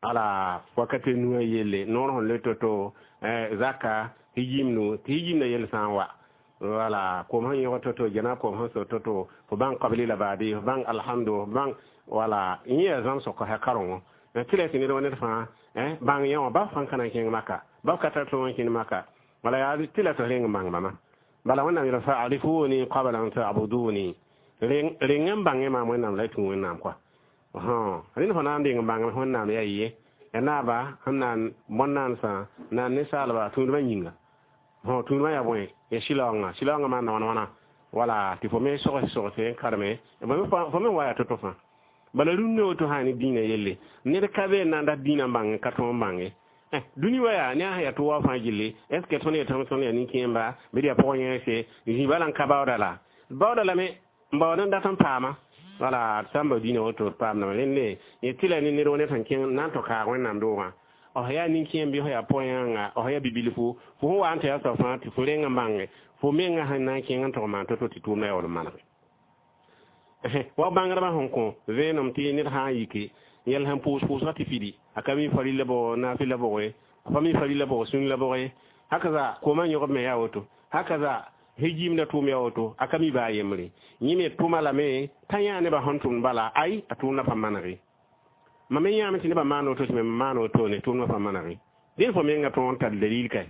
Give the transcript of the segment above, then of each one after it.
Ala wakate nuwã yelle noor sẽn le to-to zaka hijimnu tɩ hijimna yell sã n wa wala kom sẽn yõg to-to jana kom sẽn so to-to fo bãng qabli la baadi fo bãng alhamdu fo bãng wala yẽ yaa zãmsg kosã karengo tɩ la tɩ ned wa ned fãa bãng yã wã ba fãa ka na n kẽng maka ba ka tar tõog n kẽnd maka wala yaa tɩ la tɩ reng n bãng bãmba bala wẽnnaam yeela fa'arifuni qabla an ta'buduni reng n bãngẽ maam wẽnnaam la y tũ wẽnnaam kɔa rẽnd fo na n deng n bãng wẽnnaam yaa ye ya naaba sẽn na n bõn-naansã na n ninsaalba tũudmã yĩnga tũudmã yaa bõe ya sɩlaoongã sɩlaoongã maanda wãna wãna wala tɩ fo me sogs sogse n karme fo me wa yaa to-to fãa bala rũndã woto sã ne dĩinã yelle ned ka be n na n dat dĩinã n bãng ka tõog n bãnge dũni wa yaa ne a sẽn yaa tɩ wa fãa gilli est ce que tõnd yetame tõnd yaa nin-kẽemba bɩ d yaa pʋg-yẽese zĩ bala n ka baooda la baooda lame n baood n dat n paama wala d sã n bao dĩinã woto d paamdame rẽnde yẽ tɩ la ne ned wa ned sẽn kẽng na n tɩ kaag wẽnnaam doogã f yaa nin-kẽem bɩ f yaa pʋg-yãnga f yaa bibilfu fo sẽn wa n tɩ yaa soab fãa tɩ fo reng n bãnge fo mengã sẽn na n kẽng n tʋg maan to-to tɩ tʋʋmdã yaool n manege wa bãngdbã sẽn kõ vẽenem tɩ ned sã n yike yɛl sẽn pʋʋs pʋʋsgã tɩ fidi a ka mi farila bʋg naafɩla bʋge a pa mi farila bʋg sũn la bʋge hakaza koomã yõgb me yaa woto hakaza hijimda tʋʋm yaa woto a ka mi baa yembre yẽ me tʋma lame t'a yã nebã sẽn tʋmd bala ay a tʋʋmdã pa manege mam me yãame tɩ nebã maan woto tɩ me maan woto ne tʋʋmdã pa manege dẽn fo menga tõog n tar dalil kae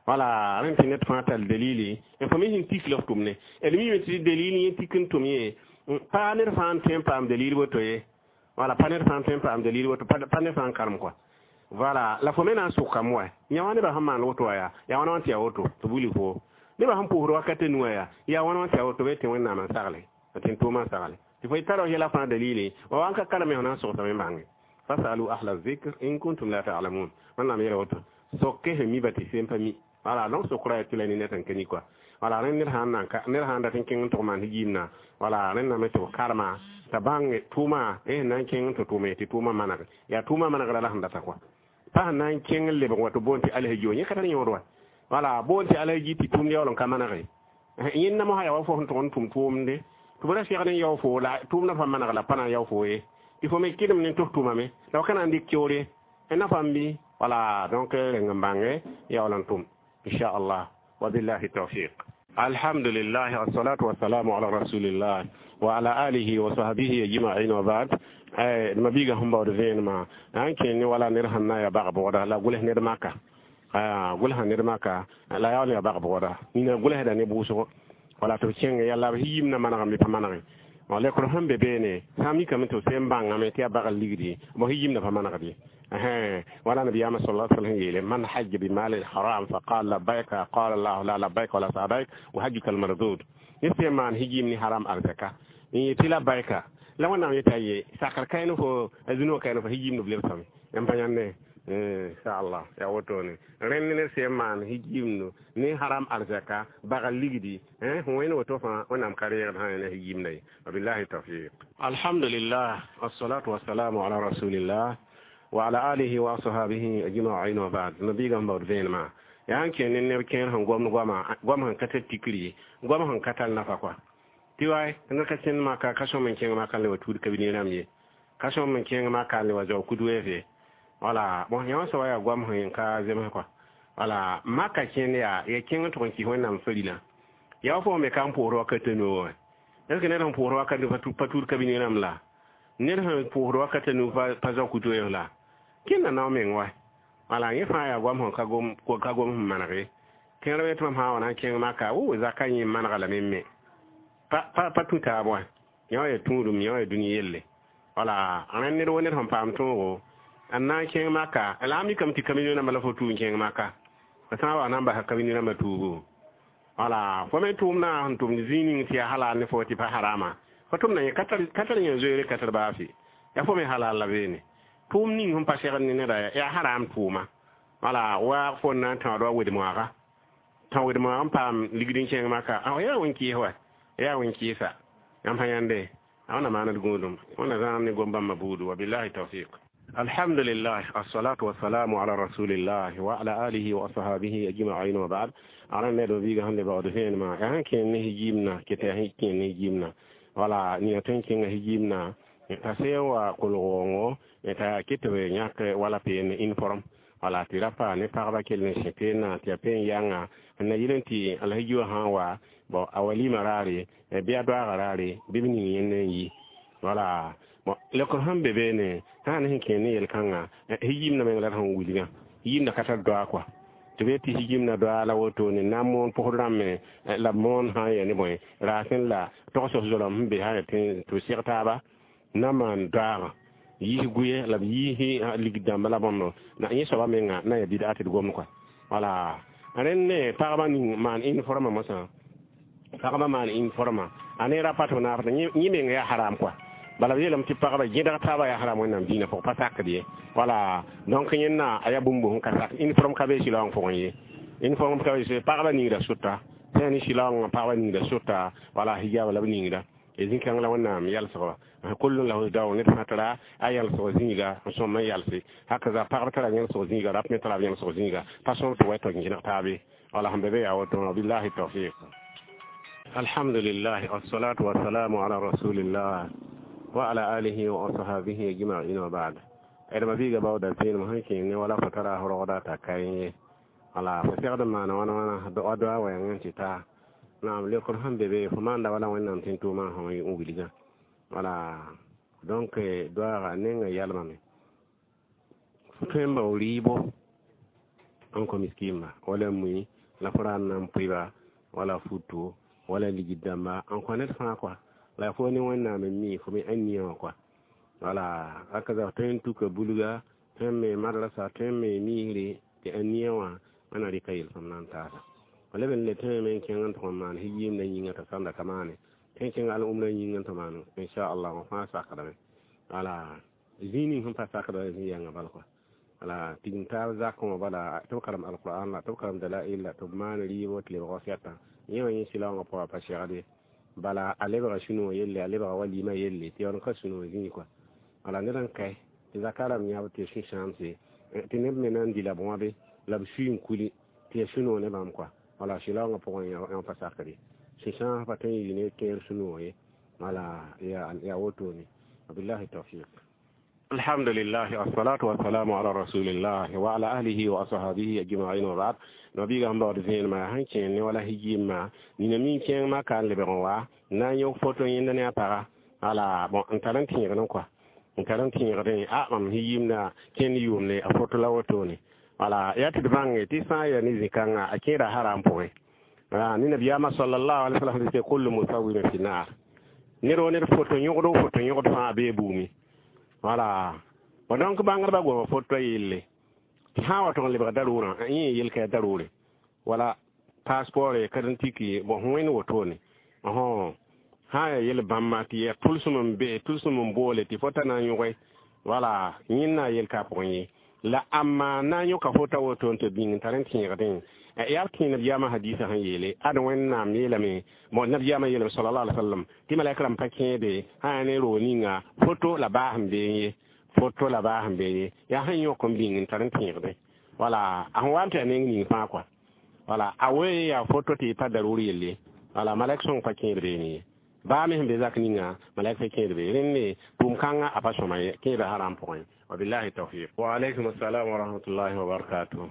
wala rẽnd tɩ ned fãa tar dalili n fo me sẽn tik la f tʋmne d miime tɩ dalil yẽ tik n tʋm yẽ pa ned fãa n tõe n paam dalil woto ye wala pa ned fãa n tõe n paam dalil woto pa ned fãa n karem kɔa voilà la fo me na n sʋkame wa yã wã nebã sẽn maan woto wa yaa yaa wãna wã tɩ yaa woto tɩ buli fo nebã sẽn pʋʋsd wakat nuwã yaa yaa wãna wã tɩ yaa woto be tɩ wẽnnaam n sagle tɩ n tʋʋmã n sagle tɩ fo tara f yɛla fãa dalili wa wa n ka kareme fo na n sogsame n bãnge fasalu ahla zikr in kuntum la ta'lamun wẽnnaam yeela woto soke sẽn mi ba tɩ sem pa mi voilà donc sokra ya tɩ la ne ned sẽn ka mi kɔa wala rẽnd ned sãn nan ned sãn dat n kẽng n tʋg maan hijimna wala rẽndame tɩ b karema t'a bãng tʋʋma sẽn na n kẽng n tɩ tʋʋme tɩ tʋʋmã maneg yaa tʋʋmã manegra la sẽn data kɔa pa sẽn na n kẽng n lebg wa tɩ boon tɩ alhaji wa yẽ ka tar yõod wa wala boon tɩ alhaji tɩ tʋʋmd yaool n ka manege yẽnda mosã yaa wa fo sẽn tʋg n tʋm tʋʋmde tɩ b ra segd n yao fo la tʋʋmdã pa maneg la pa na n yao fo ye tɩ fo me kɩdem ne tʋs tʋʋmame la f ka na n dɩk keoore na fãmb bɩ wala donc reng n bãnge yaool n tʋm inchallah wabillahi tawfiq alhamdulillah wassalatu wassalamu ala rasulillah wa ala alihi wa sahbihi ajma'in wa ba'd ma biga sẽn baood vẽenemã n kẽ ne wala ned sẽn na n yaa bag-bʋgda la gʋls ned maka gʋlsã ned maka la yaool yaa bag-bʋgda nina gʋlsda ne bʋʋsgo wala tɩ b kẽnge yalla b yimna manegame bɩ pa manege lekr sẽn be beene sã n mikame tɩ b sẽn bãngame tɩ yaa bagl ligdi bõ yimna pa manegd ye wala nabiyama sallallahu alaihi wasallam yele man hajja bi mal haram fa qala labbaika qala allah la labbaika wala sa'daik wa hajjuka al mardud ne se man hijim ni haram arzaka ni yeti labbaika la wẽnnaam yeta ye sakr kayn fo zũnuwã kayn fo hijim no b lebsame n pa yãnde inchallah yaa wotone rẽnd ne sẽn maan hijimno ne haram arzaka bagal ligdi wẽn woto fãa wẽnnaam ka reegd sã ne hijimda ye wabillahi tawfiq alhamdulillah wassalatu wassalamu ala rasulillah wa ala alihi wa ashabihi ajma'in wa ba'd nabiga baood vẽenemã yaa n kẽ ne neb kẽer sẽn gomd goama goam sẽn ka tar tikri ye goam sẽn ka tar nafa kɔa tɩ waay ned ka kẽnd maka ka sõm n kẽng maka n le wa tuud ka bi rãmb ye ka sõm n kẽng maka n le wa zao kud weef wala bon yã wã soaba yaa goam sẽn ka zems kɔa wala maka kẽnd yaa ya kẽng n tʋg n kɩs wẽnnaam farila yaa wa fo me ka n pʋʋsd wakat nu wã est ce que ned sẽn pʋʋsd wakat nu pa tuud ka bi rãmb la ned sẽn pʋʋsd wakat nu pa zao kutu weef la kẽnda nao meng wa wala yẽ fãa yaa goam sẽn ka gom sẽn maneg ye kẽer me tɩ mam sã n wa na n kẽng maka wo zaka yẽ manega lame me pa tũ taab wã yã wa yaa tũudum yã wa yaa dũni yelle wala rẽnd ned wo ned sẽn paam tõogo n na n kẽng maka la a mikame tɩ kabini rãmbã la fo tuu n kẽng maka a sã n wa na n basa kabini rãmbã tuugo wala fo me tʋʋmdã sẽn tʋmd zĩig ning tɩ yaa halal ne fo tɩ pa harama fo tʋmda yẽ ka tar yẽ zoeere ka tar baase yaa fo me halal la beene tʋʋm ning sẽn pa segd ne neda yaa haram tʋʋma wala wa fo n na n tãood wa wed-moaaga tão wed-moaag n paam ligd n kẽng maka yaa wẽn-kɩɩs wa yaa wẽn-kɩɩsa yãmb sã yãnde a wẽnna maand gũudum wẽnna zãam ne gom-bãmbã buudu wabillahi tawfiq alhamdulillah assalatu wassalamu ala rasulillah wa ala alihi wa ashabihi ajma'in wa ba'd ala ne do biga hande bawdo vẽenemã yaa sẽn kẽnd ne hijimna keta yaa sẽn kẽnd ne hijimna wala nina tõe n kẽnga hijimna T'a sẽn wa kolg waoongo t'a ket tɩ b yãk wala peen uniforme, wala tɩ ra pa ne pagba kell n sẽ peenã tɩ yaa peen yãnga n na yɩl n tɩ alhiji wã sã n wa bon a walima raare bɩ a doaaga raare bɩ b ning yẽnd n yi. Wala bon lekr sẽn be beene sã ne sẽn kẽer ne yel-kãngã hijimdã meng la d sẽn wilgã hijimdã ka tar doa kɔa tɩ b tɩ hijimdã doa la wotone na n moon pʋgd rãmbe la b moon sã n yaa ne bõe raasẽ la togs zolam sẽn be sã n tɩ b seg taaba na maan doaagã yiis gʋɩ la b yiis ligd dãmba la bõmb na yẽ soaba menga na yaa bɩda tɩ d gomd kɔa. Wala rẽnd ne pagba ning maan uniforme mosã pagba maan uniforme a ne ra pa tɩ b naaf yẽ meng yaa haram kɔa. Bala b yeelame tɩ pagba gẽdg taabã yaa haram Wẽnnaam dĩinã pʋgẽ pa sakd ye. Wala donc yẽnna a yaa bũmb sẽn ka sak uniforme ka be sɩlaoong pʋgẽ ye, uniforme ka be pagba ningda sʋta sã ne sɩlaoongã pagba ningda sʋta, wala hijaab la b ningda zĩ-kãng la Wẽnnaam yalsgba kullun lahu daw ned fãa tara a yalsg zĩiga n sõm n yalse hakaza pagb tara yãlsg zĩiga rap me tara yãlsg zĩiga pa sõm tɩ wa tɩ gẽneg taabe. Wala sẽn be be yaa woto. Billahi tawfiq. Alhamdulillah, wassalatu wassalamu ala rasulillah wa ala alihi wa ashabihi ajma'in, wa ba'd. D mabiiga baooda peenem sẽn kẽng ne wala fo tara rogda t'a ka ye, wala fo segd n maana wãna wãna doa doa wɛɛng n tɩ taa naam lekr sẽn be be fo maanda wala Wẽnnaam tẽn tʋʋmã sẽn n wilgã. Wala donc doaaga nengã yalmame fo tõe n bao rɩɩbo n kõ miskiimba wala mui la fo ra n na n pʋɩba wala futo wala ligd dãmba n kõ ned fãa kɔa la fo ne Wẽnnaam n mi fo me ãnia wã kɔa. Wala hakaza tõe n tuka bulga, tõe n me madrasa, tõe n me miisre tɩ ãnia wã wẽna rɩka yel-sõm na n taasa. Leb n le tõe me n kẽng n tʋg n maan hijiimdã yĩngã t'a sãnda ka maane tõe n kẽng al-umrã yĩngã tɩ maan inchallah wã fãa sakdame. Wala zĩig ning sẽn pa sakda zĩ yãngã bal kɔa. Wala tigim taab zakẽ wã bala tɩ b karem alquran la tɩ b karem dalail la tɩ b maan rɩɩbo tɩ lebg wasɛtã yẽ wã yẽ sɩlaoongã pʋgã pa segd ye. Bala a lebga sũ-noog yelle, a lebga walima yelle tɩ yaool n ka sũ-noog zĩig kɔa. Wala ned n kae tɩ zaka rãmb yãb tɩ ya sũ-sãamse tɩ neb me na n dɩ la b wãbe la b sui n kuli tɩ ya sũ-noog ne bãmb kɔa. Wala sɩlaoongã pʋgẽ yã pa sakd ye, sũ-sãas pa tõe n yɩ ne kẽer sũ-noog ye. Wala yaa wotone. Wabillahi tawfiq. Alhamdulillah, wassalatu wassalamu ala rasulillah wa ala ahlihi wa ashabihi ajma'in, wa ba'd. Nabiga sẽn baood vẽenemã sẽn kẽer ne wala hijimã nina min kẽeng maka n lebg n wa na n yõk foto yẽnda ne a paga. Wala bon n tar n tẽegdẽ kɔa n tar n tẽegdẽ a mam hijimdã kẽnd yʋʋmde a foto la wotone. Wala yaa tɩ d bãnge tɩ sã n yaa ne zĩ-kãngã a kẽeda haram pʋgẽ ne nabiyaamã sallallahu alaihi wasallam tɩ kullu musawirin fi nar ned wo ned foto yõgd foto yõgd fãa bee buumi. Wala bon donc bãngdbã goma foto yelle tɩ sã n wa tʋg n lebga darʋʋrã yẽ yel-ka yaa darʋʋre wala passeport ye carte d'identité bon sẽn wẽnd wotone sã n yaa yel bãmba tɩ yaa tʋlsem n be tʋlsem n boole tɩ fo ta na n yõge. Wala yẽnna yel-ka pʋgẽ ye la amma na n yõka fota woto n tɩ bĩng n tar n tẽegdẽ yaa b tẽ nabiyaamã hadiisã sẽn yeele ad Wẽnnaam yeelame bon nabiyaamã yeelame sallallahu alaihi wasallam tɩ malɛk rãmb pa kẽede sã yaa ne roog ninga foto la baas n bee ye, foto la baas n bee ye yaa sẽn yõk n bĩng n tar n tẽegdẽ. Wala a sẽn wa n tɩ a neng ning fãa kɔa. Wala a wee yaa foto tɩ pa daruur yelle. Wala malɛk sõng pa kẽed beene ye baa me sẽn be zak ninga malɛk pa kẽed be rẽnd tʋʋm-kãngã a pa sõma ye kẽeda haram pʋgẽ. Wabillahi tawfiq. Wa alaykum assalam wa rahmatullahi wa barakatuh.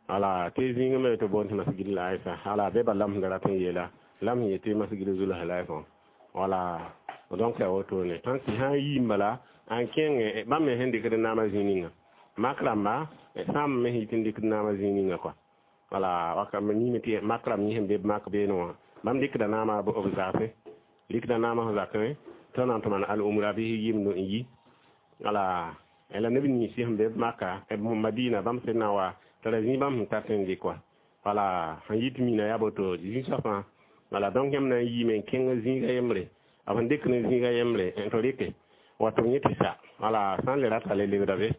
Ala tɩ zĩigã me tɩ boond tɩ masgid la aysa ala be ba lam sẽn da rat n yeela lam sẽn yetɩ masgid zulhulaifa. Wala donc ya wotone tãn tɩ sã n yiim bala n kẽng bãmb me sẽn dɩkd naamã zĩig ninga mak rãmba sãmb me sẽn yit n dɩkd naamã zĩig ninga kɔa. Wala waka yĩme tɩ mak rãmb yẽ sẽn be mak beene wã bãmb dɩkda naamã b zaase dɩkda naamã sẽn zakẽ tɩ na n tɩ maan al-umra bɩ yɩmd n yi. Wala la neb nins sẽn be maka Madina bãmb sẽn na wa t'a ra zĩ bãmb sẽn tar n dɩk wã. Wala sẽn yit mina yaa boto zĩ-soab fãa. Wala donc yãmb na n yiime n kẽng zĩiga yembre b sẽn dɩk ne zĩiga yembre n tɩ rɩke wa tɩ b yẽ tɩ sa. Wala sã n le rata le lebda be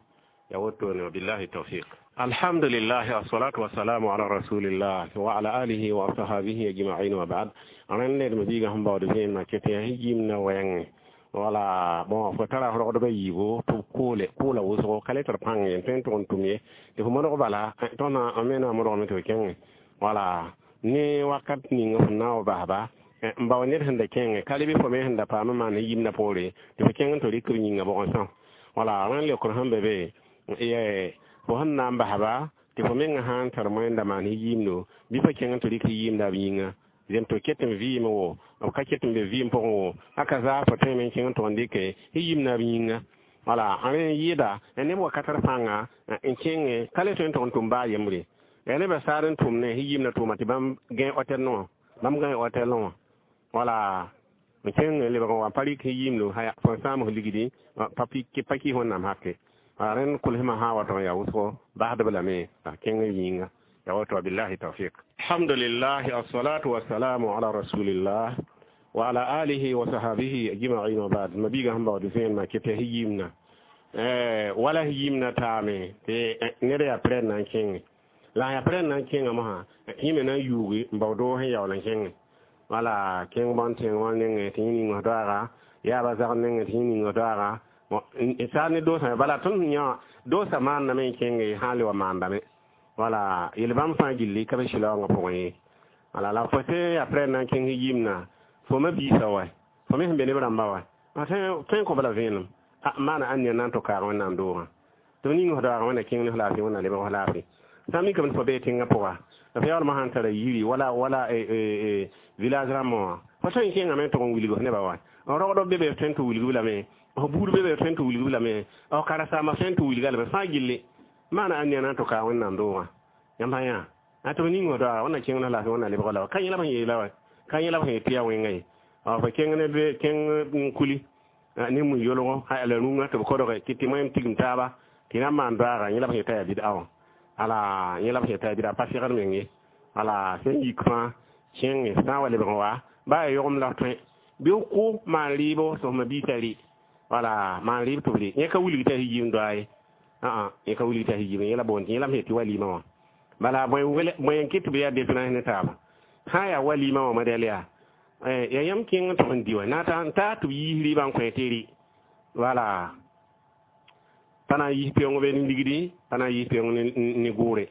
ya wotone. Wabillahi tawfiq. Alhamdulillah, wassalatu wassalamu ala rasulillah wa ala alihi wa ashabihi ajma'in, wa ba'd. Rẽnd ned mabiigã sẽn baood vẽenemã ket yaa yĩmna wɛɛngẽ. Wala bon fo tara rogdbã yiibo tɩ b koole koola wʋsgo ka le tɩ d pãng ye n tõe n tʋg n tʋm ye tɩ fo modg bala tõnd me na n modgame tɩ f kẽngẽ. Wala ne wakat ning f na n wa basba N bao ned sẽn da kẽnge ka leb fo me sẽn da paam n maan yimdã poore tɩ fo kẽng n tɩ rɩk b yĩngã bʋgẽ sã. Wala rẽn leokr sẽn be be fo sẽn na n basba tɩ fo mengã sã n tar moẽnda maan yimdo bɩ fo kẽng n tɩ rɩk yimda b yĩnga zem tɩ ket n vɩɩm wo b ka ket n be vɩɩm pʋgẽ wo aka zaa fo tõeme n kẽng n tʋg n dɩke yimda b yĩnga. Wala rẽ n yɩɩda neb wakat d pãnga n kẽnge ka le tõe n tʋg n tʋm baa yembre. Yaa nebã saar n tʋm ne yimdã tʋʋma tɩ bãmb gãe otel wã, bãmb gãe otel wã. Wala n kẽng lebg n wa pa rɩk yimdo fo n sãam f ligdi pa kɩ wẽnnaam hake. Rẽnd kʋlsmã sã n wa tɩ n yaa wʋsgo basdb lame a kẽng yĩnga. Ya woto, billahi tawfiq. Alhamdulillah, assalatu wassalamu ala rasulillah wa ala alihi wa sahabihi ajma'in wa ba'd. Mabiga sẽn baood vẽenemã kɩ tɩ yimna wala yimna taame tɩ ned yaa prɛd na n kẽnge la yaa prɛd na n kẽnga mosã yẽ me na n yuugi n bao doo sẽn yaool n kẽnge. Wala kẽng bõn tẽng wã nengẽ tɩ yẽ ning f doaaga yaaba zag nengẽ tɩ yẽ ning f doaaga saar ne doosã. Bala tõnd sẽn yã doosã maandame n kẽnge sã n le wa maandame. Wala yel bãmb fãa gilli ka be sɩlaoongã pʋgẽ ye. Wala la fo sẽn yaa prɛd na n kẽng yimna fo ma biisã wa fo me sẽn be neb rãmba wa tõe n kõ b la vẽenem maana ãn na n tɩ kaag wẽnnaam doogã tɩ b ning f doaagã wẽnna kẽng ne f laafɩ wẽnna lebg f laafɩ. Sã n mikame tɩ fo bee tẽngã pʋga f yaoolmã sãn tara yiri wala wala village rãmbã wã fo tõe n kẽngame n tʋg n wilg f nebã wa rogd be be f tõe n tɩ wilg b lame, f buud be be f tõe n tɩ wilg b lame, f karen-saambã tõe n tɩ wilga lame fãa gilli maana ãn na n tɩ kaag wẽnnaam doogã. Yãmb sã yã a tɩ b ning f doaaga wẽnna kẽng ne f laafɩ wẽnna lebg la ka yẽ la b sẽn yeela wa ka yẽ la b sẽn yet tɩ yaa wẽnga ye. Fo kẽng ne be kẽng n kuli ne mui yolgo la rũngã tɩ b kodge tɩ tɩ moẽm tigim taaba tɩ na n maan doaaga yẽ la b sẽn yeta yaa bɩd-a wã. Ala yẽ la b sẽn yeta yaa bɩd-a pa segd meng ye. Wala sẽn yik fãa kẽnge sã n wa lebg n wa baa yaa yogem la f tõe bɩ f kʋ maan rɩɩbo tɩ f ma biisã rɩ. Wala maan rɩɩb tɩ b rɩ yẽ ka wilg t'a yim doa ye, yẽ ka wilg t'a yim yẽ la boond yẽ la m sẽn tɩ walima wã. Bala bõe n kɩt tɩ b yaa différence ne taaba sã n yaa walima wã modɛl yaa ya yãmb kẽng n tʋg n dɩ wa na n taa tɩ b yiis rɩɩbã n kõ tɩ rɩ. Wala pa na n yiis peoong be ne ligdi pa na n yiis peoong ne gʋʋre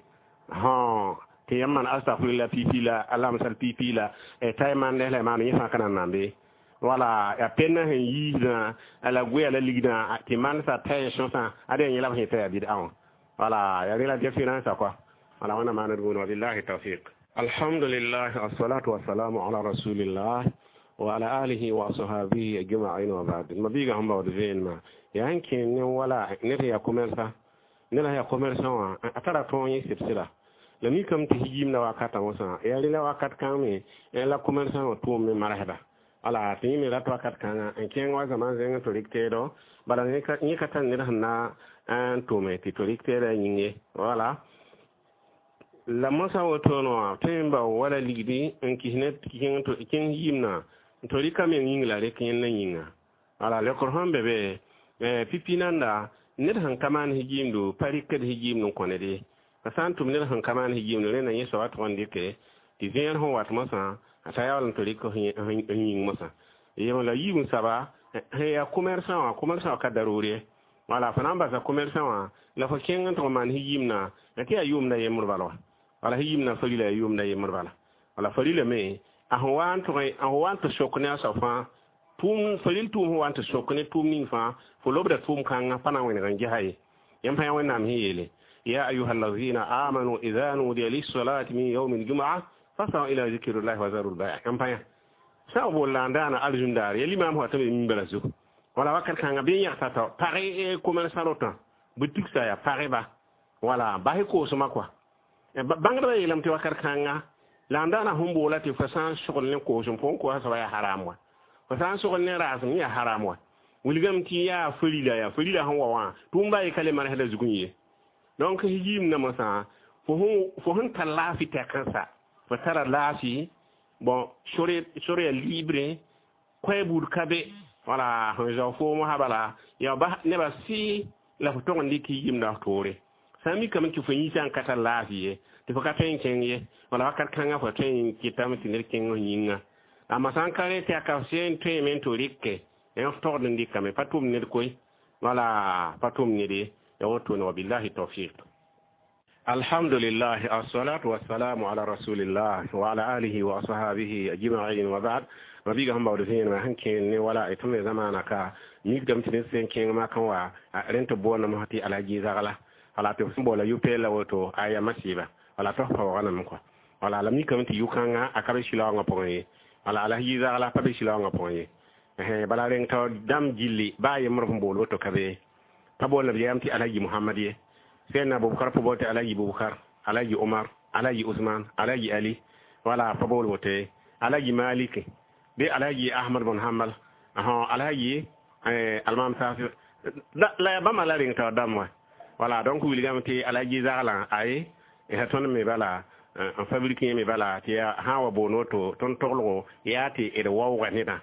tɩ yãmb maan astagfirla pipi la alamsal pipi la t'a y maan la y maan yẽ fãa ka na n nambe. Wala yaa pẽndã sẽn yiisdã la goeya la ligdã tɩ manesã t'a y sõsã ad yaa yẽ la b sẽn t'a yaa bɩd-a wã. Wala yaa rẽ la différence quoi. Wala wẽnna maaned buune wa billahi tawfiq. Alhamdulillah, assalatu wassalamu ala rasulillah wa ala alihi wa ashabihi ajma'in wa ba'd. Mabiga sẽn baood vẽenemã yaa n kẽ ne wala ned yaa commerçant ned yaa commerçant wã a tara tõog yẽ sɩbsɩda la mikame tɩ yimda wakatã mosã yaa rẽ la wakat kãng me la commerçant wã tʋʋm me marsda. Wala tɩ yẽ me rat wakat kãngã n kẽng wa zãma zẽng tɩ rɩk teedo bala yẽ ka tar ned sẽn na n tʋme tɩ tɩ rɩk teedã yĩng ye. Wala la mosã wotone wã tõe n bao wala ligdi n kis ne kẽng yimna tɩ rɩka meng yĩng la rɩk yẽnda yĩnga. Wala leokr sẽn be be pipi nanda ned sẽn ka maan yimdo pa rɩkd yimd n kõ ned ye. La sã n tʋm ned sẽn ka maan yimdo rẽnda yẽ soaba tʋg n dɩke tɩ vẽer sẽn wat mosã a ta yaool n tɩ rɩk yĩng mosã yem la yiib n saba sẽn yaa commerçant wã commerçant wã ka daroor ye. Wala fo na n basa commerçant wã la fo kẽng n tʋg n maan yimna tɩ yaa yʋʋmda yembr bala wa. Wala yimna farila yaa yʋʋmda yembr bala. Wala farila me a sẽn wa n tʋg a sẽn wa n tɩ sok ne a soab fãa tʋʋm faril tʋʋm sẽn wa n tɩ sok ne tʋʋm ning fãa fo lobda tʋʋm kãngã pa na n wẽneg n gesa ye. Yãmb fãa wẽnnaam sẽn yeele ya ayuha alladhina amanu idha nudiya lis-salati min yawmi al-jum'ah fas'au ila dhikrillahi wa zaru al-bay'. Yãmb fãa sã n bool la n daana arzũndaar ya limaam sã tɩ be mimbra zugu. Wala wakat kãngã bɩ n yãgsa tao pag commerçant rotã boutique sa yaa pageba wala basɩ koosmã kɔa bãngdbã yeelame tɩ wakat kãnga la n daana sẽn boola tɩ fo sã n sogl ne koosem fo n koasa soaba yaa haram wa fo sã n sogl ne raasem yaa haram wa wilgame tɩ yaa farila yaa farila sẽn wa wã tʋʋm-ba ye ka le manesda zugẽ ye. Donc yimna mosã fo sẽn tar laafɩ tɛkãsa fo tara laafɩ bon sore yaa libre koɛɛ buud ka be wala sẽn zao foom sã bala yaa ba nebã sɩ la fo tog n dɩk yimda f toore sã n mikame tɩ fo yĩsã n ka tar laafɩ ye tɩ fo ka tõe n kẽng ye. Wala wakat kãngã fo tõe n kɩtame tɩ ned kẽng f yĩnga amma sã n ka rẽ tɩ a ka sẽn tõeme n tɩ rɩke f togd n dɩkame pa tʋm ned koe wala pa tʋm ned ye. Ya wotone wa billahi tawfiq. Alhamdulillah, assalatu wassalamu ala rasulillah wa ala alihi wa ashabihi ajma'in, wa ba'd. Mabiga sẽn baood vẽenemã sẽn kẽen ne wala tɩ me zamaana ka mikdame tɩ ned sẽn kẽng makẽ wa rẽnd tɩ boondame tɩ alhaji zagla, wala tɩ sẽn boola yʋ-pɛɛl la woto a yaa masiiba, wala tɩ f paoogame kɔa, wala la mikame tɩ yʋ-kãngã a ka be sɩlaoongã pʋgẽ ye, wala alhaji zagla pa be sɩlaoongã pʋgẽ ye. Bala rẽng tao dãmb gilli baa yembr f bool woto ka be pa boolda b yɛɛm tɩ alhaji Mohamad ye, sẽn Bubakar pa bool tɩ alhaji Bubakar, alhaji Omar, alhaji Usman, alhaji Ali, wala pa bool woto ye, alhaji Malik bɩ alhaji Ahmad bn Hambal, alhaji almam Safi la ya bãmba la reng tao dãmb wã. Wala donc wilgame tɩ alhaji zaglã aye sã tõnd me bala n fabriqué me bala tɩ yaa sã n wa boond woto tõnd toglgo yaa tɩ d waooga nedã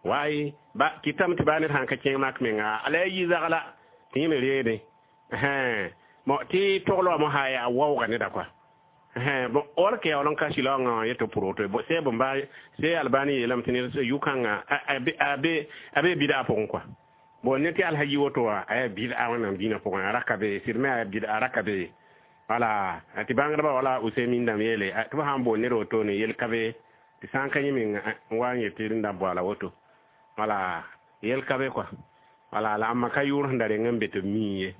waay ba kɩtame tɩ baa ned sãn ka kẽng mak menga alhaji zagla tɩ yẽ me reede bon tɩ togl wã mosã yaa waooga neda kɔa. Bon, or ke yaool n ka sɩlaoongã wã yetɩ pʋrg tɩ sɛ bõmba sɛ Albani yeelame tɩ ned yʋ-kãngã a be bɩda pʋgẽ kɔa. Bon, ne tɩ alhaji woto wã a yaa bɩda Wẽnnaam dĩinã pʋgẽ, a raka be sɩd me a yaa bɩda a raka be, wala tɩ bãngdbã wala Usemin dãmb yeele tɩ b sã n boond ned wotone yel ka be tɩ sã n ka yẽ meng n wa n yet tɩ rẽnda boala woto, wala yel ka be kɔa, wala la ãmba ka yʋʋr sẽn da reng n be tɩ b mii ye,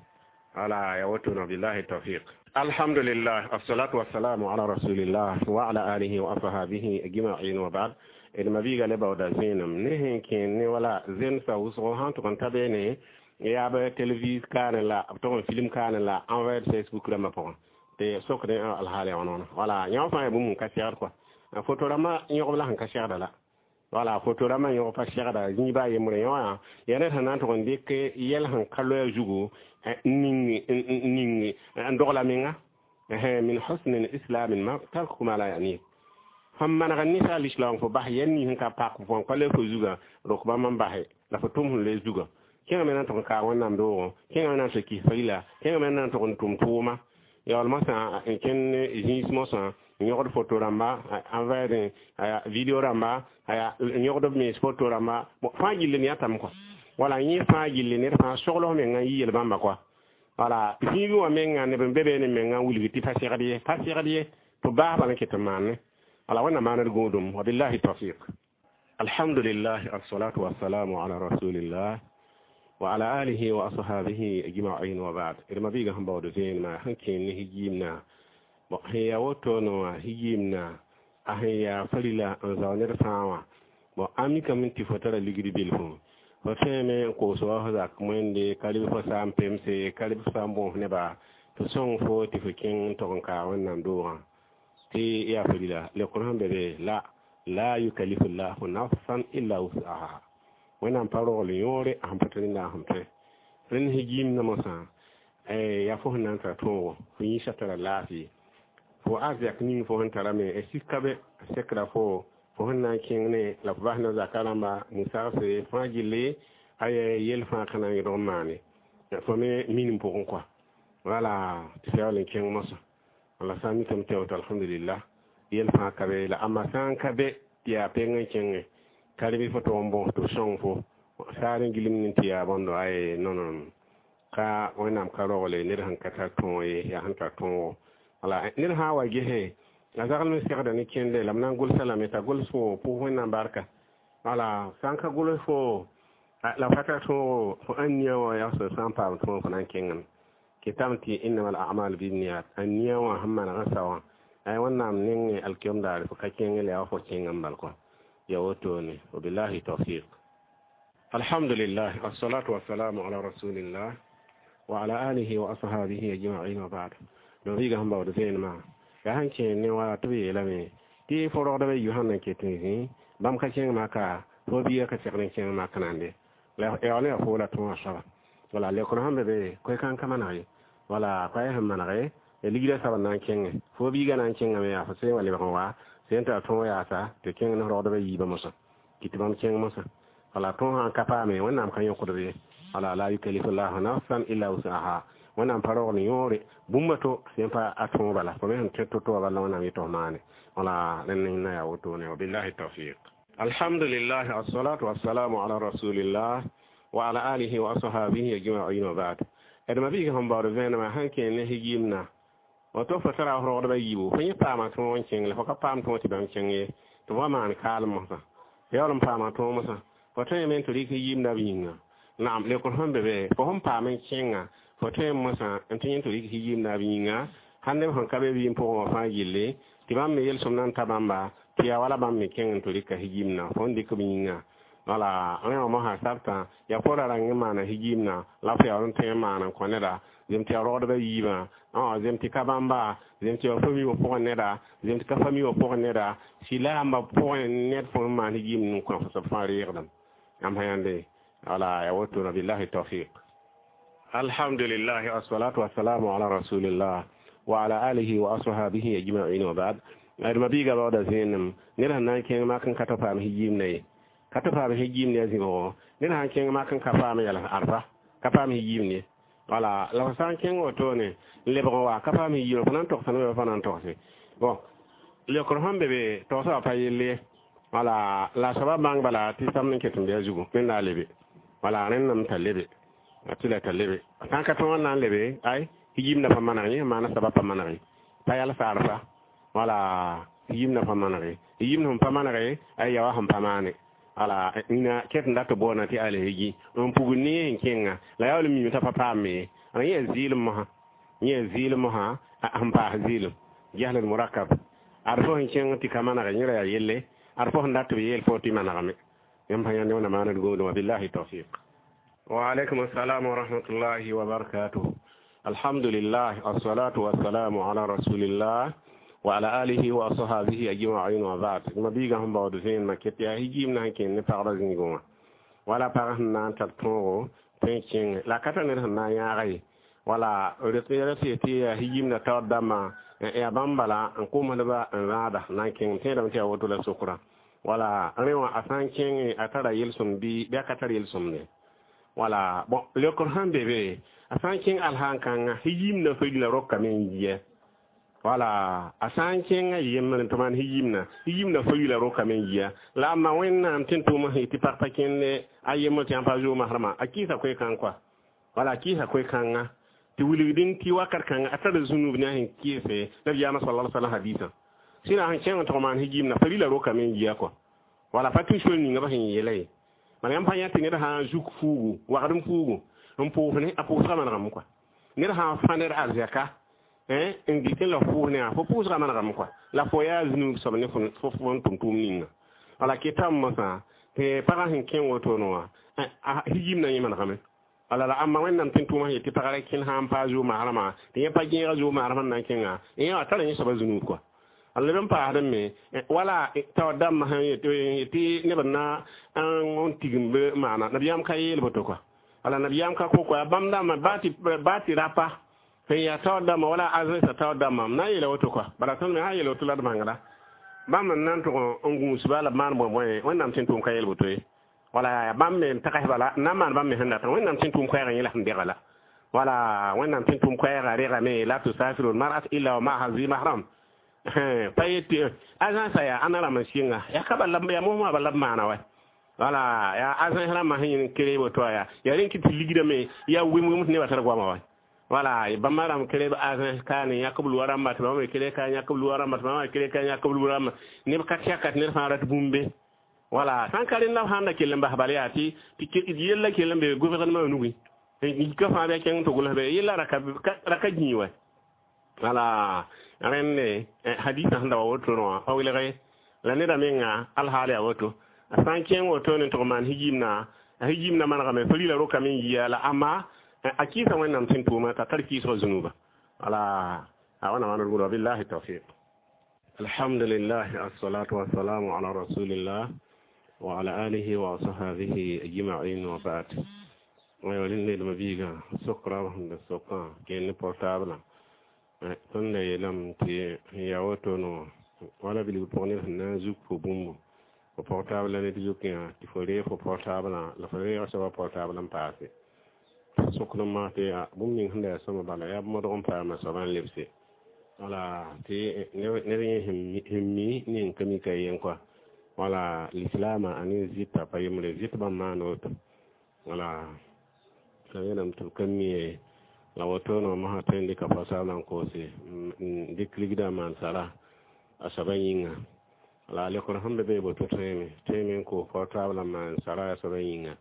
wala ya woto no. Billahi tawfiq. Alhamdulillah, assalatu wassalamu ala rasulillah wa ala alihi wa ashabihi ajma'in, wa ba'd. D mabiiga le baooda zẽenem ne sẽn kẽen ne wala zẽmsa wʋsgo sãn tʋg n ta beene yaa b televis kaane la b tʋg n film kaane la envers Facebook rãmbã pʋgẽ tɩ sokdẽ alhaal yaa wãna wala yã fãa yaa bũmb n ka segd kɔa, foto rãmbã yõgb la sẽn ka segda la, wala foto rãmbã yõg pa segda zĩiba a yembre yã wã yaa ned sẽn na n tʋg n dɩk yɛl sẽn ka loɛɛ zugu n ning n dogla menga. Min husni islam ma tarku ma la yani fãm maneg n ninsaal lislaoong fo bas yɛl nins sẽn ka pak fo pa le fo zugã rok bãmb n base la fo tʋm sẽn loe zugã kẽngame na n tʋg n kaag Wẽnnaam doogõ, kẽngame na n tɩ kis farila, kẽngame na n tʋg n tʋm tʋʋma yaool mosã n kẽnd zĩis mosã n yõgd foto rãmba envers video rãmba n yõgd b mens foto rãmba fãa gilli ne yãtame kɔa, wala yẽ fãa gilli ned fãa sogls menga n yi yel bãmba kɔa, wala zĩigẽ wã menga neb n be beene menga n wilg tɩ pa segd ye, pa segd ye tɩ baas bala n ket n maane, wala Wẽnnaam maand gũudum. Wabillahi tawfiq. Alhamdulillah, assalatu wassalamu ala rasulillah wa ala alihi wa ashabihi ajma'in, wa ba'd. D mabiiga sẽn baood vẽenemã sẽn kẽen ne hijiimna, bon, sẽn yaa woto wã hijiimna a sẽn yaa farila n zao ned fãa wã. Bon, a mikame tɩ fo tara ligd bilfu fo tõeme n koos wa fo zak wẽnde ka rɩb fo sã n pemse ka rɩb fo sã n bõos neba tɩ sõng fo tɩ fo kẽng n tog n kaag Wẽnnaam doogã tɩ yaa farila lekr sẽn be be la la yukallifu llahu nafsan illa wusaha. Wẽnnaam pa rogl yõore a sẽn pa tɩ rẽnda sẽn tõe rẽnd hijiimdã mosã yaa fo sẽn na n tara tõogo fo yĩsã tara laafɩ fo arzɛk ning fo sẽn tarame sika be sekra fo fo sẽn na n kẽng ne la fo bas na zaka rãmba musagse fãa gilli aya yel fãa ka na n yẽdg n maane fo me minim pʋgẽ kɔa, wala tɩ fo yaool n kẽng mosã, wala sã n mikame tɩ woto alhamdulillah yel fãa ka be la ãmba sã n ka be tɩ yaa peng n kẽnge ka rɩ fo tʋg n bõs tɩ b sõng fo saar n gilem ne tɩ yaa bõndo ay non non ka Wẽnnaam ka rogle ned sẽn ka tar tõog ye yaa sẽn tar tõogo, wala ned sã n wa gese a zagl me segda ne kẽnde la m na n gʋlsa lame t'a gʋls fo pʋs Wẽnnaam barka, wala sã n ka gʋls fo la fa tar tõogo fo ãn nia wã yagsg sã n paam tõog fo na n kẽngame kɩtame tɩ innama al amal binniyat a nia wã sẽn maneg n sa wã ay Wẽnnaam nengẽ alkiom daare fo ka kẽng la yaa fo kẽng n bal kɔa ya wotone. Wabillahi tawfiq. Alhamdulillah, assalatu wassalamu ala rasulillah wa ala alihi wa ashabihi ajma'in, wa ba'd. No biiga sẽn baood vẽenemã yaa sẽn kẽen ne wala tɩ b yeelame tɩ fo rogdbã yu sãn na ket n zĩ bãmb ka kẽng maka fo biiga ka segd n kẽng mak nande la yaool yaa fo la tõogã soaba, wala lekr sẽn be be koe-kãng ka maneg ye, wala koɛɛ sẽn manege ligdã soab n na n kẽnge fo biiga na n kẽngame yaa fo sẽn wa lebg n wa sẽn tara tõog yaasa tɩ kẽng ne rogdbã yiibã mosã kɩ tɩ bãmb kẽng mosã, wala tõog sã n ka paame Wẽnnaam ka yõkdb ye, wala la yukallifu llahu nafsan illa wusaha. Wẽnnaam pa rogl yõore bũmba to sẽn pa a tõog bala fo me sẽn tõe to-to wã bala Wẽnnaam yetɩ f maane, wala rẽnd na yaa wotone. Wabillahi tawfiq. Alhamdulillah, assalatu wassalamu ala rasulillah wa ala alihi wa ashabihi ajma'in, wa ba'd. D mabiiga sẽn baood vẽenemã sẽn kẽen ne hijiimna. Woto fo tara f rogdbã yiibu fo yẽ paama tõog n kẽng la fo ka paam tõog tɩ bãmb kẽng ye tɩ fo maan kaalem mosã yaool n paama tõog mosã fo tõe me n tɩ rɩk yiimda b yĩnga naam leokr sẽn be be fo sẽn paam n kẽnga fo tõe n mosã n tɩ yẽ tɩ rɩk yiimda b yĩnga sãn neb sẽn ka be vɩɩm pʋgẽ wã fãa gilli tɩ bãmb me yel-sõmd na n ta bãmba tɩ yaa wala bãmb me kẽng n tɩ rɩka yimna fo n dɩk b yĩnga wala rẽ wã mosã sabtã yaa fo ra rãng n maana yimna la fo yaool n tõe n maan n kõ neda zem tɩ yaa rogdbã yiibã zem tɩ ka bãmba zem tɩ yaa fami wã pʋgẽ neda zem tɩ ka fami wã pʋgẽ neda sɩla yãmba pʋgẽ ned fo n maan yimd n kõ fo soab fãa reegdem yãmb sã yãnde wala ya woto na billahi tawfiq. Alhamdulillah, wassalatu wassalamu ala rasulillah wa ala alihi wa ashabihi ajma'in, wa ba'd. Ad mabiga bawda zẽenem ned sẽn na n kẽng mak n ka tɩ paam yimna ye ka tɩ paam yimne ya zĩbgo ned sãn kẽng mak n ka paam yɛls arfa ka paam yimne ye wala la fo sã n kẽng wotone n lebg n wa ka paam yimne fo na n togsa nebã fa na n togse bon leokr sẽn be be togsã wa pa yell ye wala la soaba bãng bala tɩ samd n ket n bɩa zugu wẽnda a lebe wala rẽndame t'a lebe tɩ la t'a lebe sã n ka tõog n na n lebe ay yimna pa maneg yẽ maana soaba pa maneg pa yals arfa wala yimna pa manege yimna sẽn pa manege ay yawa sẽn pa maane wala ina ket n dat boona tɩ alhegi n pugl ne sẽn kẽnga la yaool n mime t'a pa paame ye yẽ zɩɩlem mosã yẽ zɩɩlem mosã sẽn paas zɩɩlem jahl murakab ad fo sẽn kẽng tɩ ka manege yẽ ra yaa yelle ad fo sẽn dat b yeel fo tɩ manegame yãmb sã yãnd wẽnna maanad gomdẽ wa billahi tawfiq. Wa alaikum assalam wa rahmatullahi wa barakatuh. Alhamdulillah, assalatu wassalamu ala rasulillah wa ala alihi wa ashabihi ajma'in, wa ba'd. Ma biiga sẽn baood zẽenmã ket yaa yimna sẽn kẽnd ne pagba zĩigẽ wã wala pag sẽn na n tar tõogo tõe n kẽnge la ka tar ned sẽn na n yãaga ye wala rete tɩ yaa yimna taoor dãmbã yaa bãmb bala n komsdba n rãada na n kẽng tẽedame tɩ yaa woto la sokra wala rẽ wã a sã n kẽnge a tara yel-sõmd bɩ a ka tar yel-sõmde wala bon leokr sẽn be be a sã n kẽng alsãn-kãnga yimna farila rokame n yia wala a sã n kẽnga yembre tɩ maan yimna yimna farila rokame n yia la amma wẽnnaam tɩ n tʋʋm sẽn tɩ pag pa kẽnde a yembr tɩ yãmb pa zoog masrmã a kɩɩsa koe-kãng kɔa wala a kɩɩsa koe-kãnga tɩ wilgdẽ tɩ wakat kãnga a tara zũnub ne a sẽn kɩɩse nabiyaamã sala alai salam hadisã sẽn sẽn kẽng n tʋg maan yimna farila rokame n yia kɔa wala pa tɩ sol ninga ba sẽn yeela ye bala yãmb pa yã tɩ ned sã n zuk fuugu wagd n fuugu n pʋʋs ne a pʋʋsgã manegame kɔa ned sã n fã ned arzɛka n dɩk la pʋʋs ne fo pʋʋsgã manegame kɔa la fo yaa zũnub soab ne fo n tʋm tʋʋm ninga wala ketame mosã tɩ pagã sẽn kẽ wotone wã yimna yẽ manegame wala la ãmba wẽnnaam tɩ n tʋʋmã yetɩ pagã ra kẽnd sã n paa zoog maasrmã tɩ yẽ pa gẽega zoog maasrmã n na n kẽnga yẽ wã tara yẽ soaba zũnub kɔa leb n paasd me wala taoor dãmbã sẽn yetɩ neb n na n tigim b maana nabiyaam ka yeel boto kɔa wala nabiyaam ka ko kɔa bãmb dãmbã baa tɩ rapa sẽn yaa taoor dãmbã wala azẽsã taoor dãmbã m na n yeela woto kɔa bala tõnd me sã n yeel woto la d bãngda bãmb n na n tʋg n gũusba la b maan bõe-bõe wẽnnaam tɩ n tʋʋm ka yeel boto ye wala bãmb me n tags bala n na n maan bãmb me sẽn datã wẽnnaam tɩ n tʋʋm koɛɛgã yẽ la sẽn degã la wala wẽnnaam tɩ n tʋʋm koɛɛgã regame la tusafiru lmarat illa wa maaha zi mahram pa yetɩ agence yaa ãnna rãmb n sɩnga yaa ka bala yaa mosmã bala b maana wa wala yaa agence rãmbã sẽn yẽn kere woto wã yaa rẽn kɩ tɩ ligrame yaa wem-wem tɩ nebã tar goama wa wala bãmba rãmb kere agence kaane yãk b lʋa rãmba tɩ bãmb me kere ka yãk b lʋa rãmba tɩ bãmb me kere ka yãk b lʋa rãmba neb ka tɛka tɩ ned fãa rat bũmbe wala sãn ka rẽnda b sãn da kell n bas bala yaa tɩ yella kell n be gouvernement nugẽ ka fãa bɩ a kẽng tɩ gʋls be yella ra ka gĩi wa wala rẽnde hadisã sẽn da wa wotone wã pa welge la neda menga alhaal yaa woto a sã n kẽng wotone n tʋg maan yimna a yimna manegame farila rokame n yia la amma a kɩɩsa wẽnnaam tɩ n tʋʋma t'a tar kɩɩsgã zũnuba wala a wãna maanad gũudã billahi tawfiq. Alhamdulillah, assalatu wassalamu ala rasulillah wa ala alihi wa ashabihi ajma'in, wa ba'd. Aywa rẽnd biiga sokra sẽn da sokã kẽnd ne portable tõnd da yeelame tɩ yaa woto wala bilg pʋg ned sẽn na n zuk fo bũmbu fo portable ned zukẽ wã tɩ fo reeg fo portablã la fo reega soabã portable n paase sokd n maa tɩ bũmb ning sẽn da yaa sõma bala yaa modg n paama soabã n lebse wala tɩ ned yẽ sẽn mi ne n ka mika yen kɔa wala lislaamã a ne zɩta pa yembre zɩt bãmb maan woto wala la yeelame tɩ b ka mi ye La woto no ma tõe n dɩka portable n koose n dɩk ligdã n maan sara a soaba yĩnga. La a lekr sẽn be be boto tõeme tõeme n koos portable n maan sara a soaba yĩnga.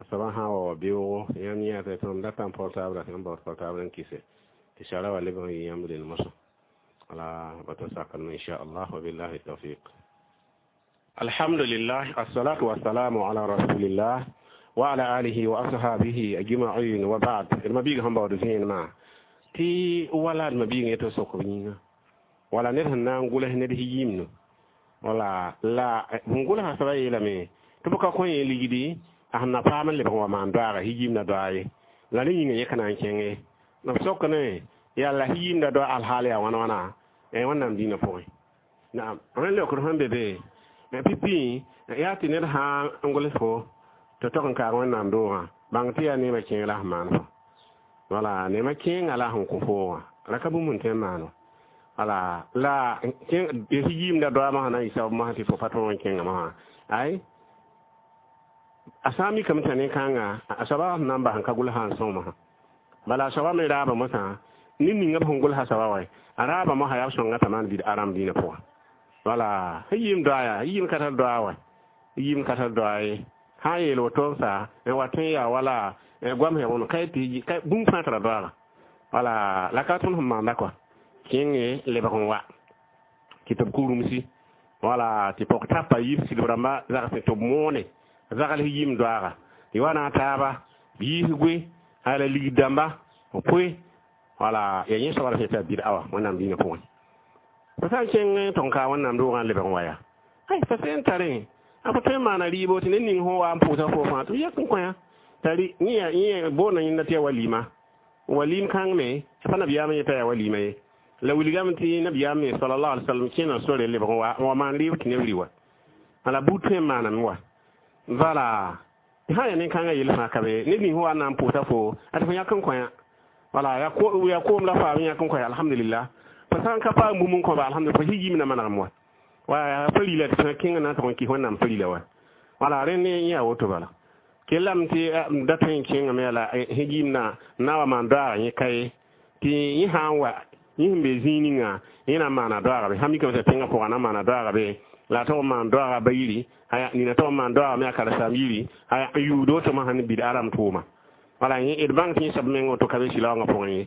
A soaba sã n wa wa beoogo yãmb yã tɩ tõnd datã portable tɩ n baood portable n kɩse tɩ sara wa lebg n yɩ yãmb rel mosã. La bato sakame inchallah, wa billahi tawfiq. Alhamdulillah, assalatu wassalamu ala rasulillah wa ala alihi wa ashabihi ajma'in, wa ba'd. Ma biig sẽn baood vẽenemã tɩ wala d ma biig yetɩ sokb yĩnga wala ned sẽn na n gʋls ned yimnu wala la sẽn gʋlsã soaba yeelame tɩ b ka kõ yẽ ligdi a sẽn na paam n lebg n wa maan doaaga yimda doa ye la ne yĩnga yẽ ka na n kẽnge b sok ne yaa la yimda doa alhaal yaa wãna wãna wẽnnaam dĩinã pʋgẽ. Naam, rẽnd leokd sẽn be be pipi yaa tɩ ned sã n gʋls fo tɩ tog n kaag wẽnnaam doogã bãng tɩ yaa neemã kẽeng la sẽn maan fo wala neemã kẽenga la sẽn kõ foogã ra ka bũmb n tõe n maan wã wala la yimda doa mosã na n yɩ sabab mosã tɩ fo pa tõog n kẽnga mosã ay a sã n mikame t'a ne-kãnga a soaba sẽn na n bas n ka gʋlsã n sõng mosã bala a soaba me raaba mosã ned ninga b sẽn gʋlsa soaba wa a raaba mosã yaa b sõnga t'a maan bid aram dĩinã pʋgã wala yim doa yaa yim ka tar doa wa yim ka tar doa ye sã n yeel woto n sa n wa tõe n yaa wala goam sẽn ka tɩ bũmb fãa tara doaga wala la ka tõnd sẽn maanda kɔa kẽnge lebg n wa tɩ tɩ b kurumsi wala tɩ pɔg tapa yib sigb rãmba zagsẽ tɩ b moone zagl yim doaaga tɩ wa na a taaba b yiis goe hala ligd dãmba b poe wala ya yẽ soaba la sẽn tɩ a bid awa wẽnnaam dĩinã pʋgẽ. Fo sã n kẽng tɩ n kaa wẽnnaam doogã n lebg n wa yaa ay fa sẽn tarẽ a fo tõe n maana rɩɩbo tɩ ned ning sẽn wa n pʋʋsa fo fãa tɩ b yɛk n kõ tari yẽ boonda yẽnda tɩ yaa walima walim kãng me pa nabiyaam yeta yaa walima ye la wilgame tɩ nabiyaam me salallahu alai wasallam kẽna sore lebg n wa n wa maan rɩɩb tɩ neb rɩ wa la buud tõe n maaname wa vala sã ya nin-kãngã yel fãa ka be ned ning sẽn wa n na n pʋʋsa fo a tɩ fo yãk n kõ yã wala yaa koom la faam yãk n kõ ya alhamdulillah fo sã n ka paam bũmb n kõba alhamdulillah fo yimna manegem wa wa pa rila tɩ kẽngã na n tʋg n kɩs wẽnnaam pa rila wa wala rẽnd yẽ yaa woto bala kellame tɩ da tõe n kẽngame la yimna na wa maan doaaga yẽ ka ye tɩ yẽ sã n wa yẽ sẽn be zĩig ninga yẽ na n maana doaaga be sã mikame t'a tẽngã pʋgã na n maana doaaga be la a tog n maan doaaga ba yiri aya nina tog n maan doaaga me a karen-saam yiri aya n yuud woto mosã ne bid aram tʋʋma wala yẽ d bãng tɩ yẽ soab meng woto ka be sɩlaoongã pʋgẽ ye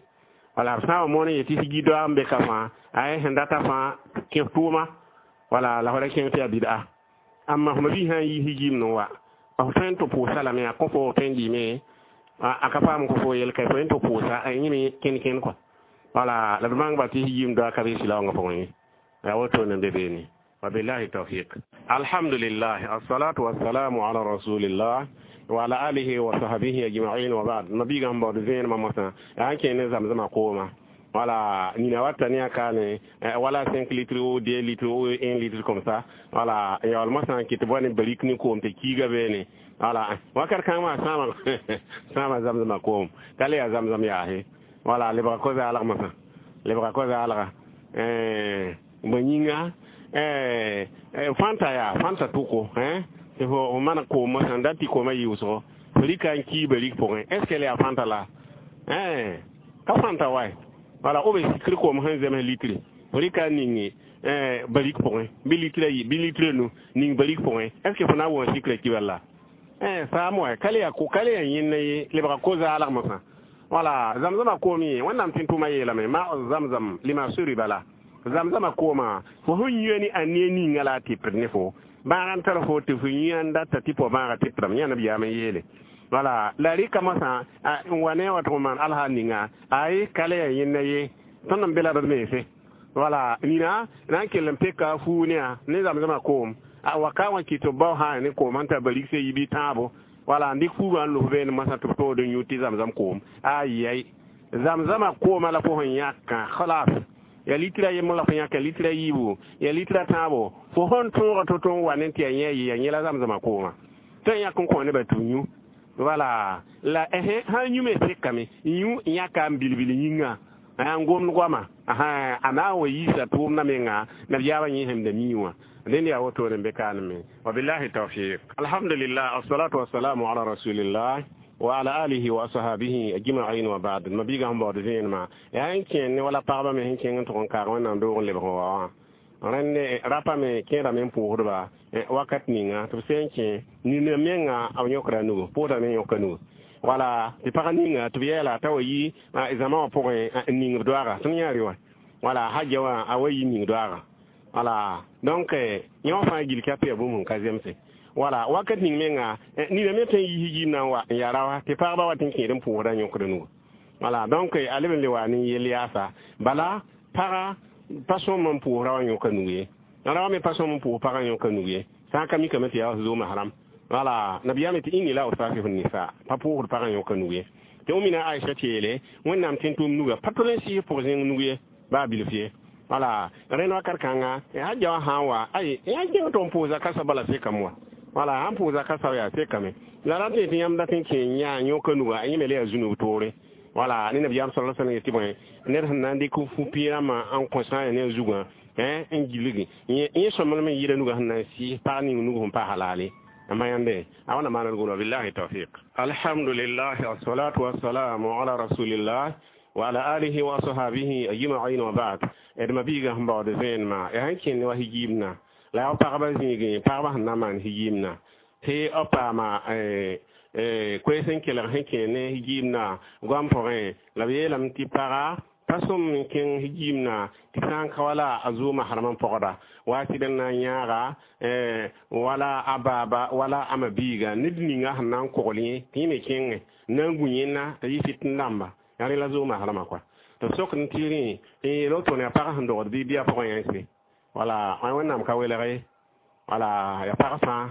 wala b sã n wa moon n yetɩ sigi doaag n be ka fãa ay sẽn data fãa kẽ tʋʋma wala la fo ra kẽng tɩ yaa bid'a amma fo ma-biis sã n yi higim n wa f tõe n tɩ pʋʋsa lame a kõ fo tõe n dɩɩme a ka paam kõ fo yel ka fo n tɩ pʋʋsa yẽ me kẽn-kẽn kɔa wala la d bãng ba tɩ higim doa ka be sɩlaoongã pʋgẽ ye yaa woto ne be beene. Wabillahi tawfiq. Alhamdulillah, assalatu wassalamu ala rasulillah wa ala alihi wa sahbihi ajma'in, wa ba'd. Mabiga n baood vẽenemã mosã yaa n kẽ ne zam-zãma kooma wala nina wata ne a kaane wala 5 litres ou 2 litres ou 1 litre comme ça wala yaool mosã n kɩt bõe ne barik ne koom tɩ kiiga beene wala wakat kãng maa sãama sãama zam-zãma koom ka le yaa zam-zam yaase wala lebga ko-zaalg mosã lebga ko-zaalga bõe yĩnga fãnta yaa fãnta tʋko tɩ fo man koom mosã n dat tɩ koomã yɩʋsgo fo rɩka n kii barik pʋgẽ est ce que la yaa fãnta la ka fãnta wae wala b sikr koom sẽn zems litre fo rɩka n ning barik pʋgẽ bɩ litre ayi bɩ litre nu ning barik pʋgẽ est ce que fo na n wõs sikrã ki bala saam wa ka le yaa ka le yaa yẽnna ye lebga ko-zaalg mosã wala zam-zãma koom yẽ wẽnnaam tɩ tʋʋmã yeelame ma zamzam lima suriba la zam-zãma koomã fo sẽn yʋa ne a ne ninga la a tɩpd ne fo bãag n tar fo tɩ fo yũ n data tɩ po bãaga tɩpdame yã nabiyaam n yeele wala la rɩka mosã n wa ne wa tɩ maan alhaal ninga ay ka le yaa yẽnna ye tõnd n be la d mense wala nina na n kell n peka a fuu ne a ne zam-zãma koom a waka wã kɩ tɩ b bao sã ne koom sẽn tar barikse yi bɩ tãabo wala n dɩk fuugã n los beene mosã tɩ b tood n yũ tɩ zam-zam koom ayay zam-zãma koomã la fo sẽn yãkã khalas ya litra yembr la fo yãka litra yiibu ya litra tãabo fo sẽn tõoga to-to n wa ne tɩ ya yẽ yɩ ya yẽ la zam-zãma koomã tɩ yãk n kõ nebã tɩ yũ wala la sã n yũ me sekame yũ yãka n bilbil yĩnga n gomd goama a na n wa yiisa tʋʋmdã menga nabiyaabã yẽ sẽn da mii wã dẽnd yaa wotone n be kaaneme wabillahi tawfiq. Alhamdulillah, assalatu wassalamu ala rasulillah. وعلى آله وأصحابه أجمعين وبعد. ما بيجا هم بعد زين ما يعني كين ولا بعض من كين تكون كارون عندهم اللي بقوا rẽnd rapa me kẽedame n pʋʋsdba wakat ninga tɩ b sẽn kẽ nina menga b yõkda nugu pʋʋsdame n yõka nugu wala tɩ pag ninga tɩ b yɛɛla t'a wa yi zãma wã pʋgẽ n ning b doaaga tõnd yãa rɩ wã wala hajja wã a wa yi ning doaaga wala donc yẽ wã fãa gil ka pɛɛ bũmb sẽn ka zemse wala wakat ning menga nina me tõe n yi higim na n wa n yaa rawa tɩ pagba wa tɩ n kẽed n pʋʋsda n yõkda nugu wala donc a leb n le wa ne yel yaasa bala paga pa sõm n pʋʋs ra wã yõka nug ye ra wã me pa sõm n pʋʋs pagã yõka nug ye sã n ka mikame tɩ yaa zooma haram wala nabiyaame tɩ inni la usafihu nisa pa pʋʋsd pagã yõka nug ye tɩ wẽmina Aisha tɩ yeele wẽnnaam tɩ n tʋʋm nuga pa tol n sɩs pʋg zẽng nug ye baa bilf ye wala rẽnd wakat kãnga hajja wã sã n wa ay yã kẽng tɩ n pʋʋsa kasa bala sekame wa wala sãn pʋʋsa kasa yaa sekame la ra tɩ tɩ yãmb dat n kẽ yã yõka nuga yẽ me le yaa zũnug toore wala ne nabiyaam sallallahu alaihi wasallam yetɩ bõe ned sẽn na n dɩk fu-pɩɩrãmbã n kõ sã n ya ne a zugã n gilgi yẽ sõmblem n yɩɩda nugã sẽn na n sɩɩs pag ning nug sẽn pa halale amma yãmbe a wãna maanad golo billahi tawfiq. Alhamdulillah wassalatu wassalamu ala rasulillah wa ala alihi wa ashabihi ajma'in wa ba'd. D ma biigã sẽn baood vẽenemã ya sẽn kẽnd wa higiimna la yaa pagba zĩigẽ pagba sẽn na n maan higiimna tɩ b paama koees n kelg sẽn kẽ ne higiimna goam pʋgẽ la b yeelame tɩ paga pa sõm n kẽng higiimna tɩ sã n ka wala a zooma harem n pɔgda wa sɩd n na n yãaga wala a baaba wala a ma biiga ned ninga sẽn na n kogl yẽ tɩ yẽ me kẽngẽ n na n gũ yẽnna t'a yɩ sɩt n dãmba yaa rẽ la zooma harema kɔa tɩ b sok n tɩ rẽ n yeel wotone yaa pag sẽn dogd bɩ bɩa pʋgẽ yãnse wala wẽnnaam ka welg ye wala yaa pag fãa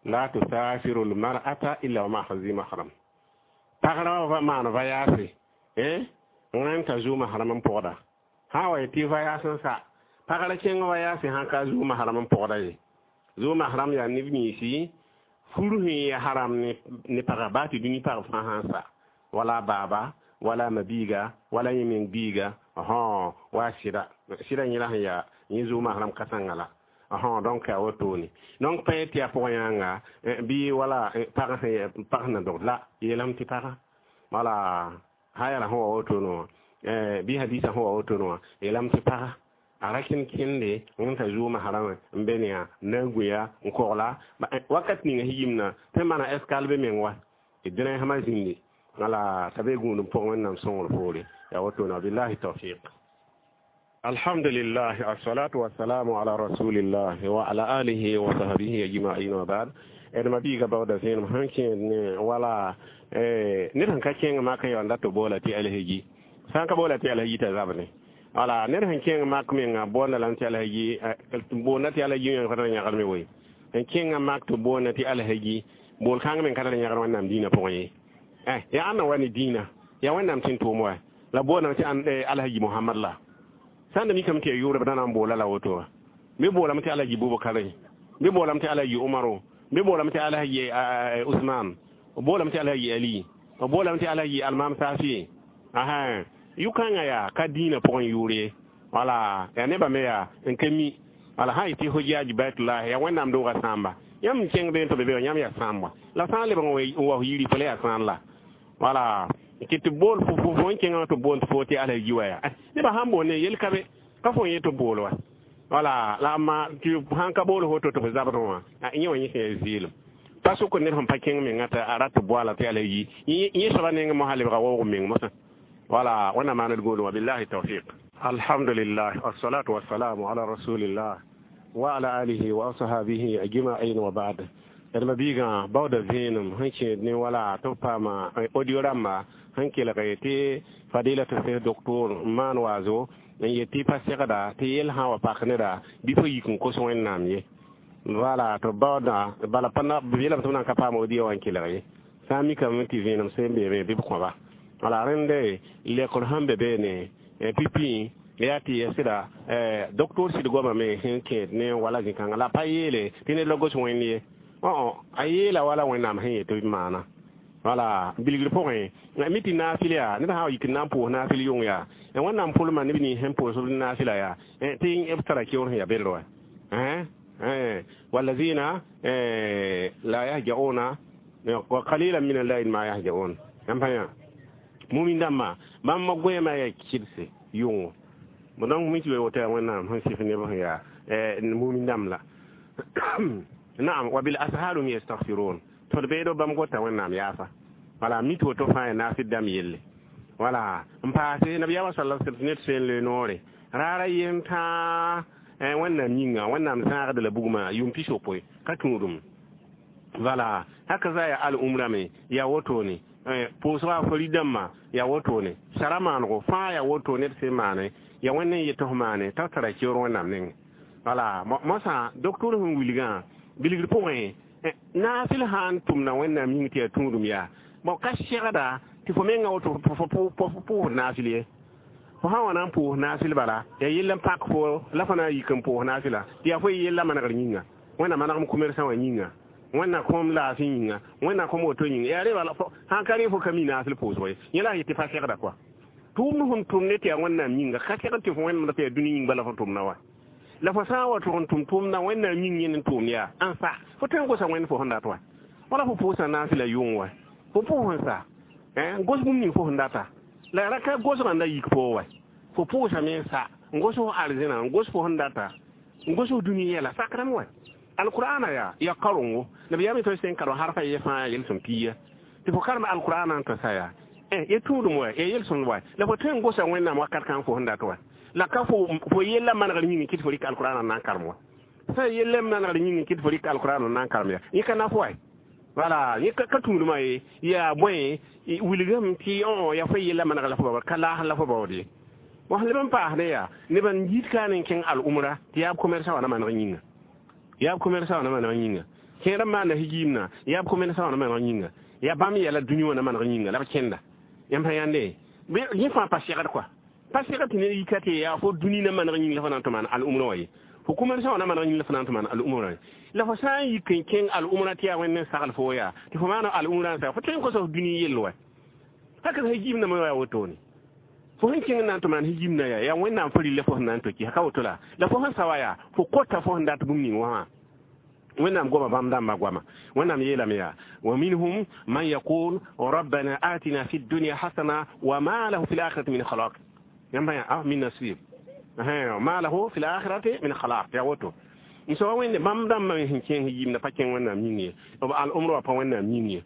la tusafiru almar'ata illa wa ma'a zi mahram pagra va maan vayaase wẽn t'a zuu mahram n pʋgda sã wa tɩ vayaas n sa pagra kẽng vayaase sã ka zuu mahram n pʋgda ye zuu mahram yaa neb yĩnsi fur sẽn ya haram ne paga baa tɩ dũni pag fãa sã n sa wala baaba wala mabiiga wala yẽ meng biiga wa sɩda sɩda yẽla sẽn yaa yẽ zuu mahram ka-sãnga la donc a wotone donc pa tɩ yaa pʋgã yãnga bɩ wala pag sẽn na dogd la yeelame tɩ paga wala hayara sẽn wa wotone wã bɩ hadisa sẽn wa wotone wã yeelame tɩ paga a ra kẽnd kẽnde n t'a zuuma harame n be ne yã n na n gũya n kogla wakat ninga higimna tɩ n maana escale be meng wa d dẽna sãma zĩndi wala t'a be gũud n pʋgẽ wẽnnaam sõngr poore yaa wotone wa billahi tawfiq. Alhamdulillah assalatu wassalamu ala rasulillah wa ala alihi wa sahbihi ajma'in wa ba'd. D ma biiga baooda zẽenem sẽn kẽed ne wala ned sẽn ka kẽng mak n yaoon dat boola tɩ alhaji sã n ka boola tɩ alhaji t'a zabne wala ned sẽn kẽng mak menga boonda lame tɩ alhaji boonda tɩ alhaji yãng pa tar yãgd me woe n kẽnga mak tɩ boonda tɩ alhaji bool kãng meng ka tar yãgd wẽnnaam dĩinã pʋgẽ ye yaa ãnna wa ne dĩinã yaa wẽnnaam tɩ n tʋʋm wa la boondame tɩ alhaji Mohamad la sã n da mikame tɩ yaa yʋʋra b da na n boola la woto wa bɩ boolame tɩ alhaji Bubakare bɩ boolame tɩ alhaji Umaro bɩ boolame tɩ alhaji Usman boolame tɩ alhaji Ali boolame tɩ alhaji Almam Safi asa yʋ-kãngã yaa ka dĩinã pʋgẽ yʋʋr ye wala yaa nebã me yaa n ka mi wala sã n yetɩ hojaaj baitullah yaa wẽnnaam doogã sãamba yãmb n kẽng beene tɩ b be wã yãmb yaa sãamba la sã n lebg n wa f yiri fo la yaa sãan la wala tɩ bool fo n kẽngã tɩ boond fo tɩ alhaji wa yaa nebã sãn boond ne yel ka be ka fo n yet tɩ bool wa wala la amma tɩ sãn ka bool foto tɩ f zabd wã yẽ wã yẽ sẽn yaa zɩɩlem pa sʋk ned sẽn pa kẽng menga tɩ a rat tɩ boala tɩ alhaji yẽ soaba neng mosã lebga waoog meng mosã wala wẽnnaam maaned goolem wa billahi tawfiq. Alhamdulillah wassalatu wassalamu ala rasulillah wa ala alihi wa ashabihi ajma'in wa ba'd. D ma biigã baooda vẽenem sẽn kẽed ne wala tɩ b paama audio rãmba sẽn kelg tɩ fadilata sẽs doctor n maan waazo n yet tɩ pa segda tɩ yel sã n wa pak neda bɩ fo yik n kos wẽnnaam ye wala tɩ baooda bala pa b yeelame tɩ b na n ka paam audio wã n kelg ye sã n mikame tɩ vẽenem sẽn beeme bɩ b kõba wala rẽnde lekr sẽn be beene pipi yaa tɩ ya sɩda doctor sɩd goamame sẽn kẽed ne wala zĩ-kãngã la pa yeele tɩ ned la gos wẽnd ye a yeela wala wẽnnaam sẽn yet tɩ b maana wala bilgr pʋgẽ mi tɩ naafɩl yaa ned sã n yik n na n pʋʋs naafɩl yʋng yaa wẽnnaam pʋlma neb nins sẽn pʋʋs b naafɩla yaa tɩ b tara keoor sẽn yaa beld wa walazina la yahjauna Wa qalilan min al-layli ma yahjaun. Yãmb pa yã mumin dãmba bãmb goẽema yaa kɩdse yʋngo. Bon donc mi tɩ woto yaa Wẽnnaam sẽn sɩf neb sẽn yaa mumin dãmb la. Naam, wa bil ashar hum yastaghfirun. Tõd beedo bãmb gota Wẽnnaam yaafa. Wala mi tɩ woto fãa yaa naafɩd dãmb yelle. Wala n paase nabiyaamã sala sallam tɩ ned tõe n le noore raara yem tãa Wẽnnaam yĩnga Wẽnnaam zãagd la bugmã yʋʋm 60 ka tũudum. Wala haka za ya al umra me ya wotone pʋʋsga fari dãmbã ya wotone sara maanego fãa ya woto ned sẽn maane ya Wẽnd n yet f maane t'a tara keoor Wẽnnaam nengẽ. Wala mosã docteur sẽn wilgã bilgr pʋgẽ naafɩl sã n tʋmda Wẽnnaam yĩng tɩ yaa tũudum yaa bon ka segda tɩ fo menga woto fo pʋʋs naafɩl ye. Fo sã n wa na n pʋʋs naafɩl bala yaa yell n pak fo la fo na n yik n pʋʋs naafɩla tɩ yaa fo yella manegr yĩnga. Wẽnnaam manegm commerçant wã yĩnga, Wẽnnaam kõm laafɩ yĩnga, Wẽnnaam kõm woto yĩnga yaa re bala sãn ka rẽ fo ka mi naafɩl pʋʋsgo ye. Yẽ la a yet tɩ pa segda kɔa. Tʋʋmd sẽn tʋm ne tɩ yaa Wẽnnaam yĩnga ka segd tɩ fo Wẽnnaam tɩ yaa dũni yĩng bala fo tʋmda wa. La fo sã n wa tʋg n tʋm tʋmdã Wẽnnaam yĩng yẽnd n tʋʋmd yaa n sa fo tõe n gosa Wẽnd fo sẽn dat wa. Wala fo pʋʋsa naafɩla yʋng wa. Fo pʋʋs n sa gos bũmb ning fo sẽn data. La ra ka gosgã la yik fo wa. Fo pʋʋsame n sa n gos fo arzẽna n gos fo sẽn data n gos fo dũni yɛla sakrame wa. Alqur'ana ya ya karongo nabiyaam tõe sẽn karo harfa ye fãa yel-sõm piiya tɩ fo karem alqur'ana n tɩ sa yaa ya tũudum wa ya yel-sõmd wa la fo tõe n gosa Wẽnnaam wakat kãng fo sẽn dat wa. La ka fo yella manegr yĩng kɩt fo rɩk alqur'ana n na n karem wa. Sã yella manegr yĩng kɩt fo rɩk alqur'ana n na n karem ya yẽ ka naf wa. Wala yẽ ka tũudmã ye yaa bõe wilgame tɩ yaa fo yella manegr la fo baood ka laasr la fo baood ye. Wa sẽn leb n paasdẽ yaa neb n yit ka n kẽng al-umra tɩ yaa b commerçant wã na maneg yĩnga. Yaa b commerçant wã na maneg yĩnga. Kẽer n maanda higiimna yaa b commerçant wã na maneg yĩnga. Yaa bãmb yɛla dũni wã na maneg yĩnga la b kẽnda. Yãmb sã yãnde yẽ fãa pa segd kɔa. Pa segd tɩ ned yika tɩ yaa fo dũni na maneg yĩng la fo na n tɩ maan al-umra wã ye. Fo commerçant wã na maneg yĩng la fo na n tɩ maan al-umra ye. La fo sã n yik n kẽng al-umra tɩ yaa Wẽnd n sagl fo yaa tɩ fo maana al-umra n sa fo tõe n kosa f dũni yell wa. Haka higiimnã me yaa wotone. Fo sẽn kẽng na n tɩ maan higiimnã yaa yaa Wẽnnaam fo rɩlla fo sẽn na n toki ka woto la la fo sẽn sa wa yaa fo kota fo sẽn dat bũmb ning wã. Wẽnnaam goama bãmb dãmbã goama. Wẽnnaam yeelame yaa wa minhum man yaqul rabbana atina fi dunya hasana wa ma lahu fi lakhirati min khalaq. Yãmb yaa min nasib ma lahu fi lakhirati min khalaq yaa woto. N soaba wẽnde bãmb dãmbã me sẽn kẽng higiimdã pa kẽng Wẽnnaam yĩng ye. B al-umra wã pa Wẽnnaam yĩng ye.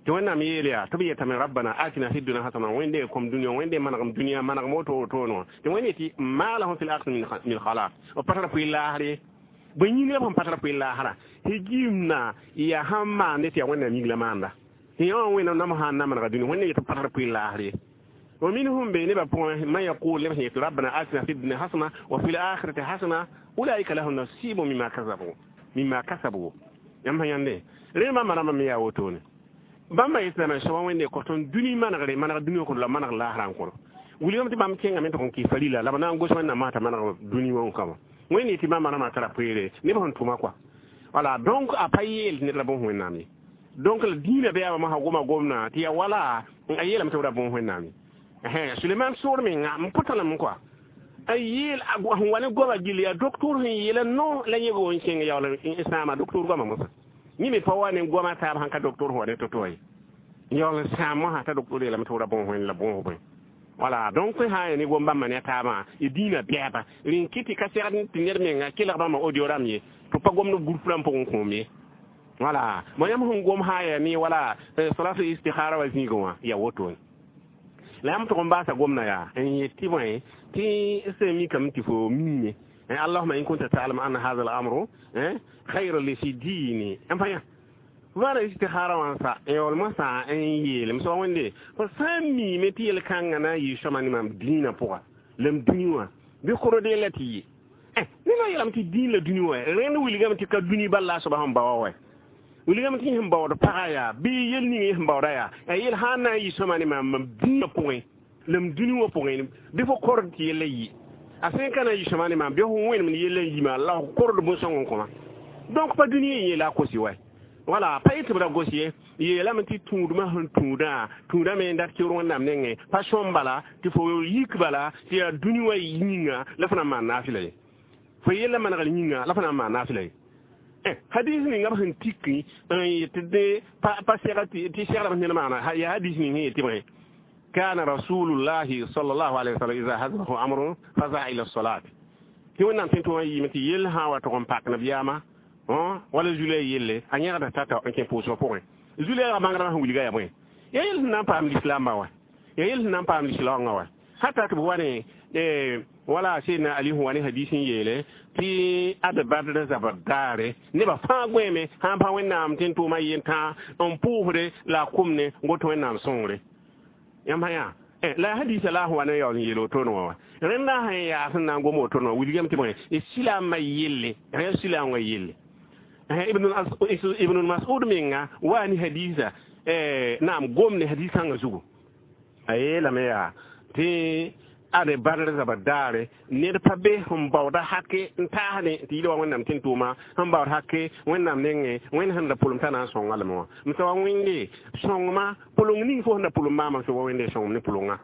Tɩ Wẽnnaam yeel yaa tɩ b yetame rabbana atina fi dunya hasana Wẽnde kom dũniyã Wẽnde manegem dũniyã manegem woto woto wã tɩ Wẽnde tɩ ma lahum fi lakhirati min khalaq. B pa tara pʋɩ laasr ye. Bõe yĩng la b sẽn pa tara pʋɩ laasrã higiimdã yaa sãn maande tɩ yaa Wẽnnaam yĩng la maanda. Tɩ yã wã Wẽnnaam nam sã n na manega dũni Wẽnde yet b pa tara pʋɩ laasr ye. Wa minhum be nebã pʋgẽ man yaqul neb sẽn yet rabbana atina fi dunya hasana wa fi lakhirati hasana ulaika lahum nasibu mimma kasabu mimma kasabu. Yãmb sã yãnde rẽ bãmba rãmbã me yaa wotone. Bãmba yetlame soaba Wẽnde kõ tõnd dũni manegre maneg dũni wã kõr la maneg laasrã n kõr. Wilgame tɩ bãmb kẽngame tɩ kõn kɩ farila la b na n gos Wẽnnaam masã t'a maneg dũni wã n kãbã. Wẽnde tɩ bãmba rãmbã tara poeere neb sẽn tʋma kɔa. Wala donc a pa yeel tɩ ned ra bõs Wẽnnaam ye. Donc la dĩinã bɩ yaa masã goma gomdã tɩ yaa wala a yeelame tɩ b ra bõs Wẽnnaam ye. Suleman soor menga n pʋta lame kɔa. A yeel sẽn wa ne goama gill yaa docteur sẽn yeela no la yẽ n kẽng yaool n sãama docteur goamã mosã. Yẽ me pa wa ne goamã taab sãn ka docteur sẽn wa ne to-to ye. Yaool n sãam mosã t'a docteur yeelame tɩ b ra bõs Wẽnd la bõs bõe. Wala donc sã n yaa ne gom bãmba ne a taabã y dĩinã bɛɛba rẽn kɩ tɩ ka segd tɩ ned menga kelg bãmba audio rãmb ye tɩ pa gomd b groupe rãmb pʋgẽ kõom ye. Wala mo yãmb sẽn gom sã n yaa ne wala salatu istikhara wa zĩigẽ wã yaa wotone. La yãmb tʋg n baasa gomdã yaa n yet tɩ bõe tɩ sẽn mikame tɩ fo miime allahuma in kunta ta'lam anna hadha al-amru khayr li fi dini. Yãmb pa yã vaana istikhara wã n sa n yaool mosã n yeelem soaba Wẽnde fo sã n miime tɩ yel-kãngã na n yɩ sõma ne mam dĩinã pʋga la m dũni wã bɩ kʋrd la tɩ yɩ. Ned wã yeelame tɩ dĩin la dũni wã rẽnd wilgame tɩ ka dũni bal la a soaba sẽn baoa wa. Wilgame tɩ sẽn baood pagã yaa bɩ yel ning yẽ sẽn baooda yaa a yel sã n na n yɩ sõma ne mam dĩinã pʋgẽ la m dũni wã pʋgẽ bɩ fo kord tɩ yella yɩ. A sẽn ka na n yɩ sõma ne maam bɩ fo wẽnem ne yella n yima la f kord bõn-sõng n kõma. Donc pa dũni yẽ la a kosi wa. Wala pa yetɩ b ra gos ye yeelame tɩ tũudmã sẽn tũudã tũudame n dat keoor Wẽnnaam nengẽ pa sõm bala tɩ fo yik bala tɩ yaa dũni wã yĩnga la fo na n maan naafɩla ye. Fo yella manegr yĩnga la fo na n maan naafɩla ye. Hadis ninga b sẽn tik n yetɩ dẽ pa sɛga tɩ segrame ned maana yaa hadis ning sẽn yetɩ bõe kana rasulullahi sallallahu alaihi wasallam iza hazahu amrun faza ila salat tɩ wẽnnaam tẽn tʋma yiime tɩ yell sã n wa tʋg n pak nabiyaamã wala zulɛ yelle a yẽgda tata n kẽ pʋʋsgã pʋgẽ zulɛɛgã bãngdmã sẽn wilga yaa bõe yaa yel sẽn na n paam lislaambã wa yaa yel sẽn na n paam lislaoongã wa hata tɩ b wa ne wala seydna ali sẽn wa ne hadis n yeele tɩ ad badr zabr daare nebã fãa gõeeme sãn pa wẽnnaam tẽn tʋʋmã yentã n pʋʋsde la a kʋmne n got wẽnnaam sõngre yãmb sã yaa la hadisa la sẽn wa ne yaool n yeel wotone wã wa rẽnda sẽn yaa sẽn na n gom wotone wã wilgame tɩ bõe silaamã yelle rẽ silaam wã yelle ibn mas'ud menga wa ni hadisa naam gom ne hadis kãngã zugu a yeelame yaa tɩ ade badr zaba daare ned pa be sẽn baooda hake n taasne tɩ yɩl wa wẽnnaam tẽn tʋʋma sẽn baood hake wẽnnaam nengẽ wẽnd sẽn da pʋlem t'a na n sõnga lame wã m sã wa wẽnde sõngma pʋleng ning fo sẽn da pʋlem maama sã wa wẽnde sõngem ne pʋlenga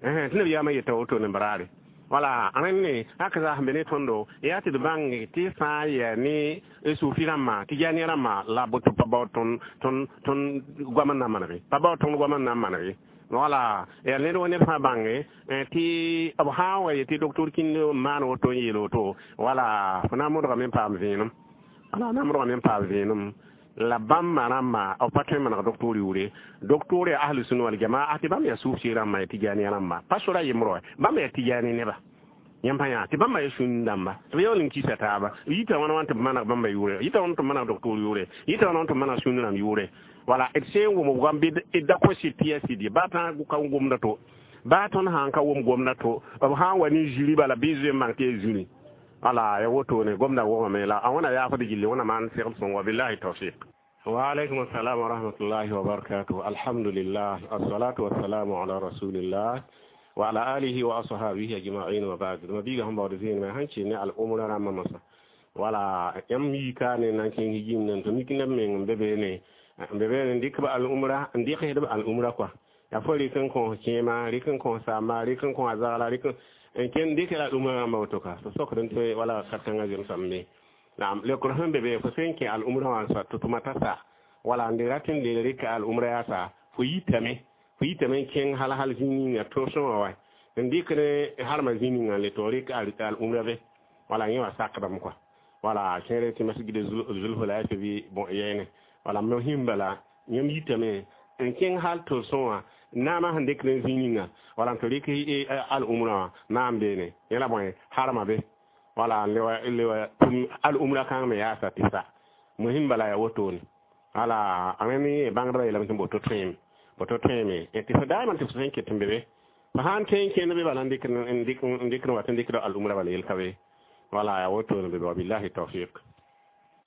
tɩ nabiyaamã yeta woto ne baraare wala rẽnne hak zaa sẽn be ne tõndo yaa tɩ d bãng tɩ sã n yaa ne sufi rãmbã tɩ jaani rãmbã la boto pa baood tõnd goam n na n manege pa baood tõnd goam n na n manege wala ya ned wa ned fãa bãnge tɩ b sã n wa yetɩ doctor kĩnd n maan woto n yeel woto wala fo na n modgame n paam vẽenem wala na n modgame n paam vẽenem la bãmba rãmba b pa tõe n maneg doctor yʋʋre doctor yaa ahlu sunna wal jamaa tɩ bãmb yaa sʋʋf rãmba ya tɩjaani rãmba pa sora yembr wa bãmb yaa tɩjaani neba yãmb pa yã tɩ bãmba yaa sũn dãmba tɩ b yaool n kisa taaba yita wãna wãn tɩ b maneg bãmba yʋʋre yita wãna tɩ b maneg doctor yʋʋre yita wãna tɩ b maneg sũn rãmb yʋʋre wala d sẽn wʋm goam bɩ d da kõ sɩd tɩ yaa sɩd ye baa tã ka gomda to baa tõnd sãn ka wʋm gomda to b sã n wa ne zũri bala bɩ zoe n bãng tɩ yaa zũri wala ya wotone gomda wʋgame la a wẽna yaafd gilli wẽna maan segl sõng wa billahi tawfiq wa alaykum assalam wa rahmatullahi wa barakatuh alhamdulillah assalatu wassalamu ala rasulillah wa ala alihi wa ashabihi ajma'in wa ba'd ma biga hum bawde zin ma hanci ne al umra ramma masa wala yam yika ne nan kin hijim nan to mikina men bebe ne bebe ne dik ba al umra ndik hedba al umra quoi ya fo rikin kon kema rikin kon sama rikin kon azala rikin en ken dik al umra ramma to ka so sokran to wala katanga jëm samme naam le qur'an bebe fo senke al umra wan sa to matasa wala ndiratin de rika al umra ya sa fo yitame fo yitame ken hal hal zini ya to so wa en dikre har ma zini ngal to rika al umra be wala ngi sakdam quoi wala kere ti masjid zulhulaifa bi bon yene wala muhim bala yam yitame en ken hal to so wa nama han dikre zini nga wala to rika al umra naam bene yela bon harama be wala lewa tum al umra kan me ya sa tisa muhim bala ya woto ni ala amemi bangda ila mtum boto trim boto treme e ti fa man ti sen ke tembe fa han ten ke ne be bala ndik ndik ndik no watan ndik al umra bala yel kawe wala ya woto ne be billahi tawfiq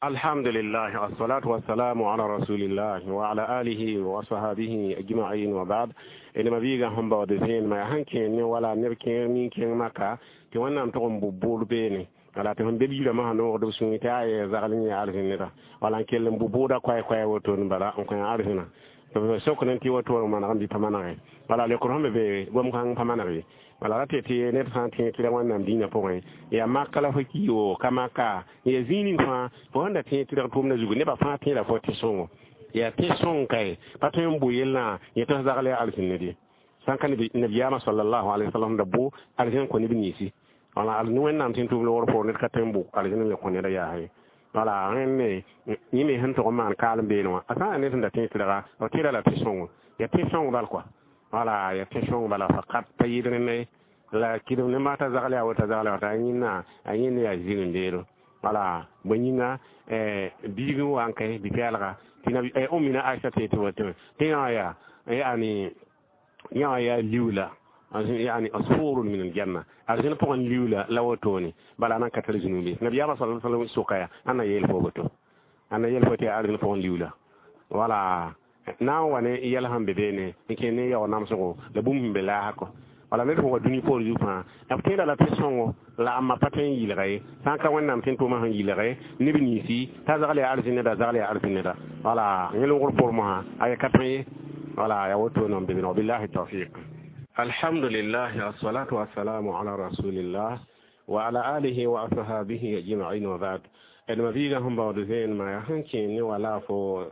alhamdulillah assalatu wassalamu ala rasulillah wa ala alihi wa sahbihi ajma'in wa ba'd ina mabiga hamba wa desin ma hanke ne wala ne ke min ke maka ti wannan to bu bene wala tɩ fõn be biirã masã noogd b sũur tɩ a yɛ zagl yẽ arzẽneda wala n kell n bʋ bʋʋda koɛ-koɛ woto n bala n kõ arzẽna tɩ sok ne tɩ woto n maneg n bɩ pa manege wala leokr sẽn be be gom-kãng pa maneg ye wala ra tɩ tɩ ned sã n tẽ tɩ ra wẽnnaam dĩinã pʋgẽ yaa maka la fo ki woo ka maka yaa zĩig ning fãa fo sẽn da tẽ tɩ reg tʋʋmdã zugu nebã fãa tẽeda fo tɩ sõngo yaa tẽ sõng kae pa tõe n bʋ yellã yẽ tɩ f zagl yaa arzẽned ye sãn ka nabiyaamã sallallahu alaihi wasallam da bʋ arzẽn kõ neb ninsi wala al wẽnnaam tẽn tʋʋm loogr poor ned ka tõe n bʋ arzẽn le kõ neda yaa ye wala rẽnne yẽ me sẽn tʋg n maan kaalem beene wã a sã n yaa ned sẽn da tẽ tɩrga b tẽeda la tɩ sõngo yaa tẽ sõng bal kɔa wala yaa tẽ sõng bala fakat pa yɩɩd rẽnna ye la kɩdem ne maata zagl yaa woto zagl yaa woto a yẽnna a yẽnd yaa zĩg n beelo wala bõe yĩnga biig n wa n kae bi-pɛɛlga tɩ ummina Aisha tɩ tɩ woto tɩ yã yaa yani yã yaa liuula يعني أصفور من الجنة أرجنا بقى ليولا لو توني بل أنا كتر جنوبي نبي الله صلى الله عليه وسلم سوقيا أنا يلفو بتو أنا يلفو تي أرجنا بقى ليولا ولا ناو وانا يلهم ببيني إنكني يا نام سقو لبوم بلا هكو wala ned fo wa dũni poor zug fãa b tẽeda la tɩ sõngo la a ma pa tõe n yɩlga ye sã n ka wẽnnaam tẽn tʋʋmã sẽn yɩlge neb ninsi t'a zagl yaa arzẽn neda zagl yaa arzẽn neda wala yẽ longr poor mosã a ya ka tõe ye wala ya woto n be billahi tawfiq. Alhamdulillah, assalatu wassalamu ala rasulillah. وعلى آله وأصحابه أجمعين وبعد. ما بيغا هم بعد زين ما يحنكي ولا فو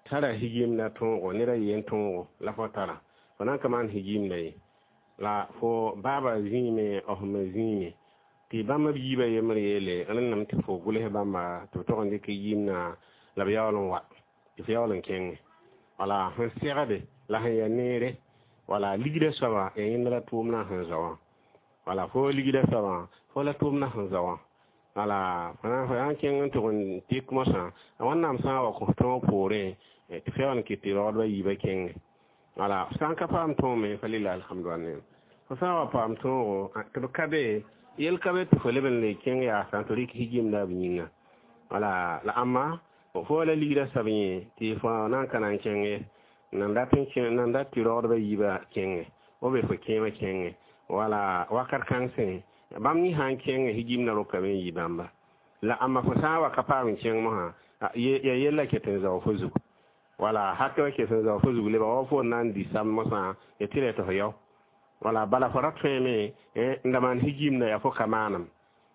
tara higimda tõogo ned a yen tõogo la fo tara fo na n ka maan higimda ye la fo baaba zĩime f me zĩime tɩ bãmb b yiibã yembr yeele rẽnname tɩ fo gʋls bãmba tɩ b tog n dɩk yimna la b yaool n wa tɩ f yaool n kẽnge wala sẽn segde la sẽn ya neere wala ligda soaba ya yẽnd la tʋʋmdã sẽn zao wã wala fo ligda soabã fo la tʋʋmdã sẽn zao wã wala fo na n kẽng n tʋg n tɩk mosã wẽnnaam sã n wa kõ tõog poorẽ tɩ f yaool n kɩt tɩ raoodbã yiibã kẽnge wala sã n ka paam tõog fa lila alhamdu fo sã n wa paam tõogo tɩ b ka be yel ka be tɩ fo leb n le kẽng yaasã tɩ rɩk higimda b yĩnga wala la ãmba fo la ligrã sab yẽ tɩ fo na n ka na n kẽnge nan dat tɩ raoodbã yiibã kẽnge o be fo kẽemã kẽnge wala wakat kãngsẽ bãmb yẽ sã n kẽnge higimdã rokame n yi bãmba la ãmba fo sã n wa ka paam n kẽng mosã ya yella ket n zao fo zugu wala hakɛ ket n zao fo zug lebga wa fo na n di sam mosã ya tɩ ra tɩ fo yao wala bala fo ra tõeme n da maan higimda yaa fo ka maanem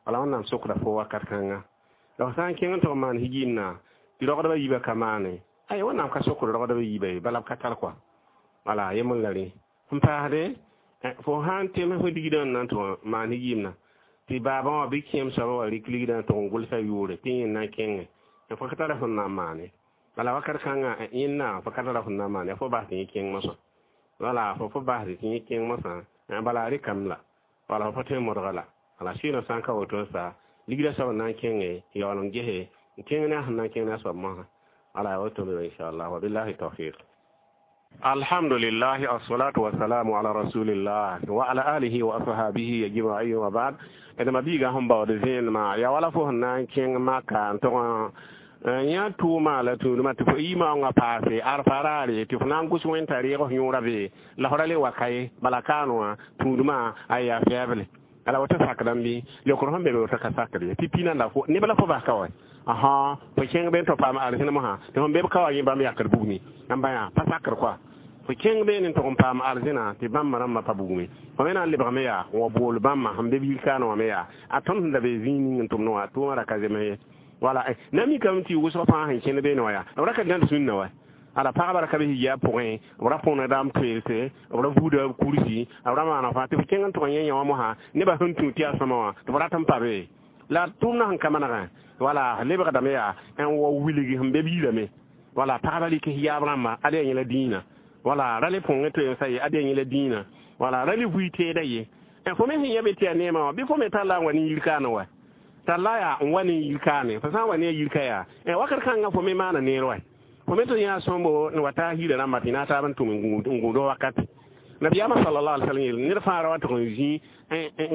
wala wẽnnaam sokda fo wakat kãnga la fo sã n kẽng n tʋg n maan higimdã tɩ rogdbã yiibã ka maane ay wẽnnaam ka sokd rogdbã yiibã ye bala b ka tar kɔa wala yembr la rẽ n paasde fo sã n tem fo ligdã n na n tʋg maan higimdã tɩ baabã wã bɩ kẽem soabã wa rɩk ligdã n tʋg n gʋlsa yʋʋre tɩ yẽ na n kẽnge fo ka tara sẽn na n maane wala wakat kãngã yẽnna fo ka tara sẽn na n maane fo bas tɩ yẽ kẽng mosã wala fo bas tɩ yẽ kẽng mosã bala rɩkame la wala fo tõe n modga la wala sɩɩnã sã n ka woto n sa ligdã soab n na n kẽnge yaool n gese n kẽng ne a sẽn na n kẽng ne a soab mosã wala woto me inchallah wabillahi tawfiq. Alhamdulillah, assalatu wassalamu ala rasulillah wa ala alihi wa ashabihi ajma'in wa ba'd. Ed ma biiga sẽn baood zẽenema ya wala fo sẽn na n kẽng maka n tʋg n yã tʋʋma la tũudmã tɩ fo yɩ-maoongã paase arfa raare tɩ fo na n gʋs wẽnta reeg f yõora be la fo ra le wa ka ye bala kaan wã tũudmã a yaa fɛɛble ala woto sakdame bɩ leokr sẽn be be woto ka sakd ye tɩ pina la neb la fo bas ka wa aha fo kẽng be n tɩ paam arzẽn mosã tɩ fõn be b ka wa yẽ bãmb yakd bugmi n bã yaa pa sakr koa fo kẽng beene n tʋg n paam arzẽna tɩ bãmb rãmbã pa bugme fo me na n lebgame yaa n wa bool bãmba sẽn be b yir-kaanẽ wã me yaa a tõnd sẽn da be zĩig ning n tʋmd wã tʋʋmã ra ka zems ye wala na mikame tɩ wʋsg fãa sẽn kẽnd beene wã yaa b ra ka gãnd sũnna wa ala pagba ra ka be hijaab pʋgẽ b ra põna daam toeelse b ra vuuda b kursi b ra maana fãa tɩ f kẽng n tʋg n yẽ yã wã mosã nebã sẽn tũ tɩ yaa sõma wã tɩ b rat n pa be la tʋʋmdã sẽn ka manegã wala lebgdame yaa n wa wilg sẽn be b yirame wala pagba rɩk hijaab rãmba ad yaa yẽla dĩinã wala ra le põngẽ toe n sa ye ad yaa yẽla dĩinã wala ra le vui teeda ye fo me sẽn yã be tɩ yaa neemã wã bɩ fo me tall la n wa ne yir-kaanẽ wa tall yaa n wa ne yir-kaane fo sã n wa ne a yir-ka yaa wakat kãngã fo me maana neer wa fo me tɩ yã sõmbo n wa taa hiirã rãmba tɩ na taab n tʋm n gũud wakate nabiyaamã sallallahu alaihi wasallam yeel ned fãa ra wa tʋg n zĩ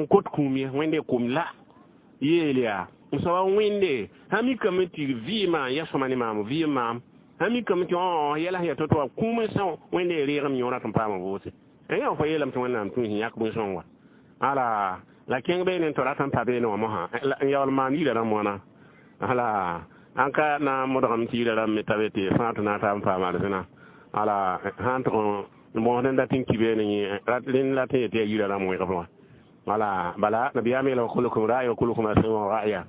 n kot kũum ye wẽnde kum la yeel yaa n soaba wẽnde sã mikame tɩ vɩɩmã ya sõma ne maam vɩɩm maam sã mikame tɩ yɛla sẽn ya to-to wa kũum n são wẽnde reegem yõora tɩ n paam vʋʋse yã fo yeelame tɩ wẽnnaam tũ sẽn yãk bõn-sõng wa ala la kẽng beene n tɩ rat n pa beene wã mosã n yaool maan yirã rãmb wãna ala an ka na n modgame tɩ yirã rãmb me ta be tɩ fãa tɩ na n taab n paam arzẽna ala sã n tʋg n bõosd n dat n ki beene yẽ rẽnd la tɩ yetɩ yaa yirã rãmb wẽgb wã wala bala nabiyaam yeela wa kulukum ra'i wa kulukum mas'ulun ra'ya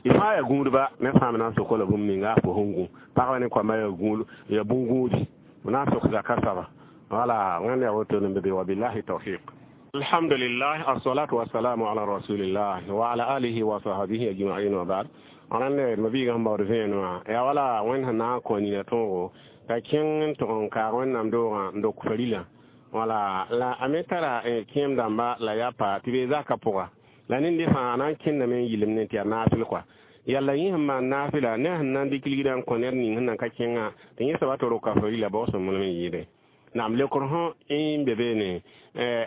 y fãa yaa gũudba ne fãa me na n sok la bũmb ninga a fo sẽn gũ pagba ne koamba yaa gũud yaa bũn-gũudi b na n sok zaka soaba wala wẽnd yaa woto ne be wabillahi tawfiq. Alhamdulillah, assalatu wassalamu ala rasulillah wa ala alihi wa sahbihi ajma'in wa ba'd. Rãnd ma biiga sẽn baood vẽenemã yaa wala wẽnd sẽn na n kõ nina tõogo ka kẽng n tʋg n kaag wẽnnaam doogã n dok farila wala la a me tara kẽem dãmba la yaa pa tɩ bee zaka pʋga la ned fãa a na n kẽndame n yɩlem ne tɩ yaa naafɩl kɔa yalla yẽ sẽn maan naafɩla ne sẽn na n dɩk ligdã n kõ ned ning sẽn na n ka kẽngã tɩ yẽ soaba tɩ roka farila bao sõmblem n yɩɩde naam leokr sõ n be beene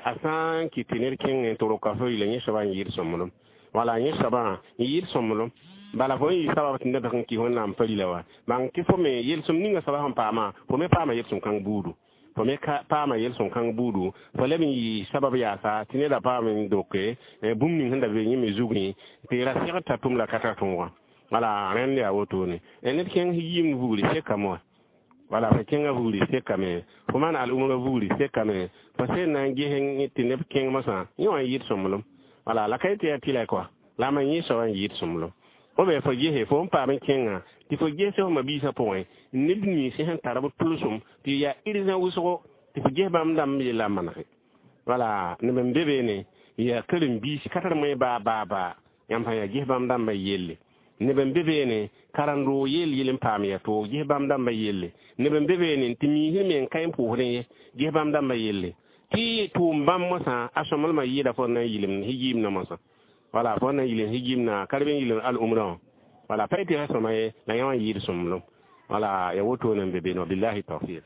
a sã n kɩt tɩ ned kẽngẽ tɩ roka farila yẽ soaba n yɩɩd sõmblem wala yẽ soabã n yɩɩd sõmblem bala fo n yɩ sabab tɩ ned sẽn kɩs wẽnnaam farila wa bãng tɩ fo me yel-sõm ninga soaba sẽn paama fo me paama yel-sõm kãng buudu fo me paama yel-sõm kãng buudu fo leb n yɩ sabab yaasa tɩ neda paam n doke bũmb ning sẽn da be yẽ me zugẽ tɩ ra segd t'a tʋm la ka tar tõogã wala rẽnd yaa wotone ned kẽng yiimd vugri sekame wã wala fo kẽngã vugri sekame fo maan al-umra vugri sekame fo sẽn na n ges tɩ neb kẽng mosã yẽ wã n yɩɩd sõmblem. Wala la ka tɩ yaa tɩlɛ kɔa la ma yẽ soaba n yɩɩd sõmblem o be fo gese fo n paam n kẽngã tɩ fo gese f mabiisã pʋgẽ neb nins sẽn tar b tʋlsem tɩ yaa irzã wʋsgo tɩ fo ges bãmb dãmb yella n manege. Wala neb n be beene yaa karen-biis ka tar moe baa baa baa yãmb sã yaa ges bãmb dãmbã yelle. Neb n be beene karen-roog yell yel n paam yaa toog ges bãmb dãmbã yelle. Neb n be beene tɩ miisd me n ka n pʋʋsdẽ ye ges bãmb dãmbã yelle. Tɩ tʋʋm bãmb mosã a sõmblmã yɩɩda fo na n yɩlem hijimna mosã. Wala fo na n yɩlem hijimna ka reb n yɩlem al-umrã wã. Wala pa tɩ ra sõma ye la yã wã n yɩɩd sõmblem. Wala ya woto n be beene billahi tawfiq.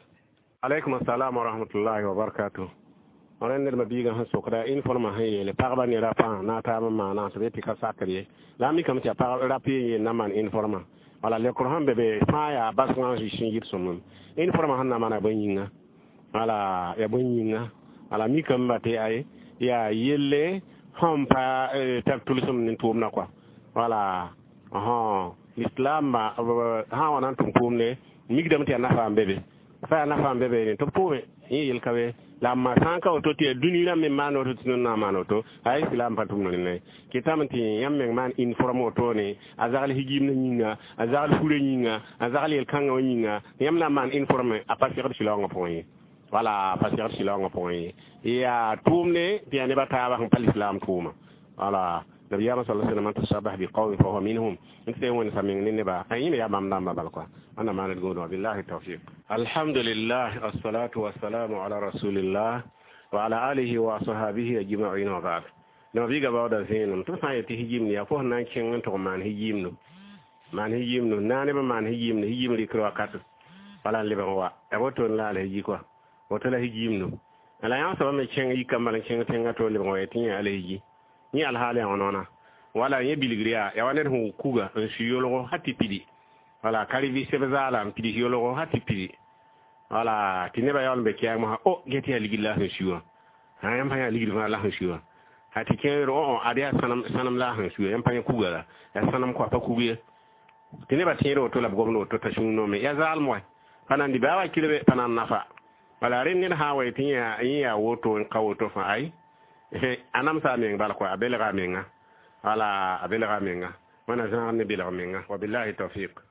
Alaikum assalam wa rahmatullahi wa barakatuh. Rẽnd ned mabiigã sẽn sokda uniformã sẽn yeele pagba ne rapã na a taab n maana tɩ be tɩ ka sakr ye la a mikame tɩ yaa pag rap yen yel na n maan uniformã. Wala lekr sẽn be be fãa yaa basgã n sẽn yɩd sõmblem uniformã sẽn na maana bõe yĩnga. Wala yaa bõe yĩnga. Wala mikame ba tɩ ay yaa yelle sẽn pa tar tʋlsem ne tʋʋmdã kɔa. Wala l'islam sã n wa na n tʋm tʋʋmde mikdame tɩ yaa nafa n be be fa yaa nafa n be be tɩ b tʋʋme yẽ yel ka be la ma sã n ka woto tɩ yaa dũni rãmb me maan woto tɩ na n maan woto a islam pa tʋmd rẽnda ye kɩtame tɩ yãmb meng maan uniforme wotone a zagl higimdã yĩnga a zagl furã yĩnga a zagl yel-kãngã wã yĩnga yãmb na n maan uniforme a pa segd sɩlaoongã pʋgẽ ye. Wala pa segd sɩlaoongã pʋgẽ ye yaa tʋʋmde tɩ yaa neb a taabã sẽn pa l'islam tʋʋma. Wala nabiyama sallallahu alaihi wasallam man tashabaha biqawmin fa huwa minhum n tɩ wẽnd sa meng ne neba a yẽme yaa bãmb dãmbã bal kɔa wẽnna maaned gũudã billahi tawfiq. Alhamdulillah assalatu wassalamu ala rasulillah wa ala alihi wa ashabihi ajma'in wa ba'd. Nabiga baooda zẽenem tɩ b sã n yet tɩ hijimd yaa fo sẽn na n kẽng n tʋg maan hijimdo maan hijimdo na neb n maan hijimdo hijim rɩkr wakat wala n lebg n wa ya woto n la ala hiji kɔa woto la hijimdo la yã soaba me kẽng yika n bal n kẽng tẽngã to lebg n wa tɩ yẽ ala hiji yẽ alhaal yaa wãna wala yẽ bilgr yaa ya wa ned sẽn kuga n su yolgo ha tɩ pidi. Wala ka rɩ seb zaala n pids yolgo ha tɩ pidi. Wala tɩ nebã yaool n be kɛɛg mosã o get yaa ligd la sẽn su wã sã yãmb sã yaa ligd fãa la sẽn su wã ha tɩ kẽer o ad yaa sãnem la sẽn su yãmb pa yẽ kuga la yaa sãnem kɔa pa kug ye tɩ nebã tẽed woto la b gomd woto t'a sũur noome yaa zaalem wa pa nan dɩ baa wa kirbe pa nan nafa. Wala rẽnd ned sã n wa tɩ yẽ yaa woto n ka woto fãa ay a namsa a meng bal kɔa a belga a menga. Wala a belga a menga wẽna zãag ne belg menga wa billahi tawfiq.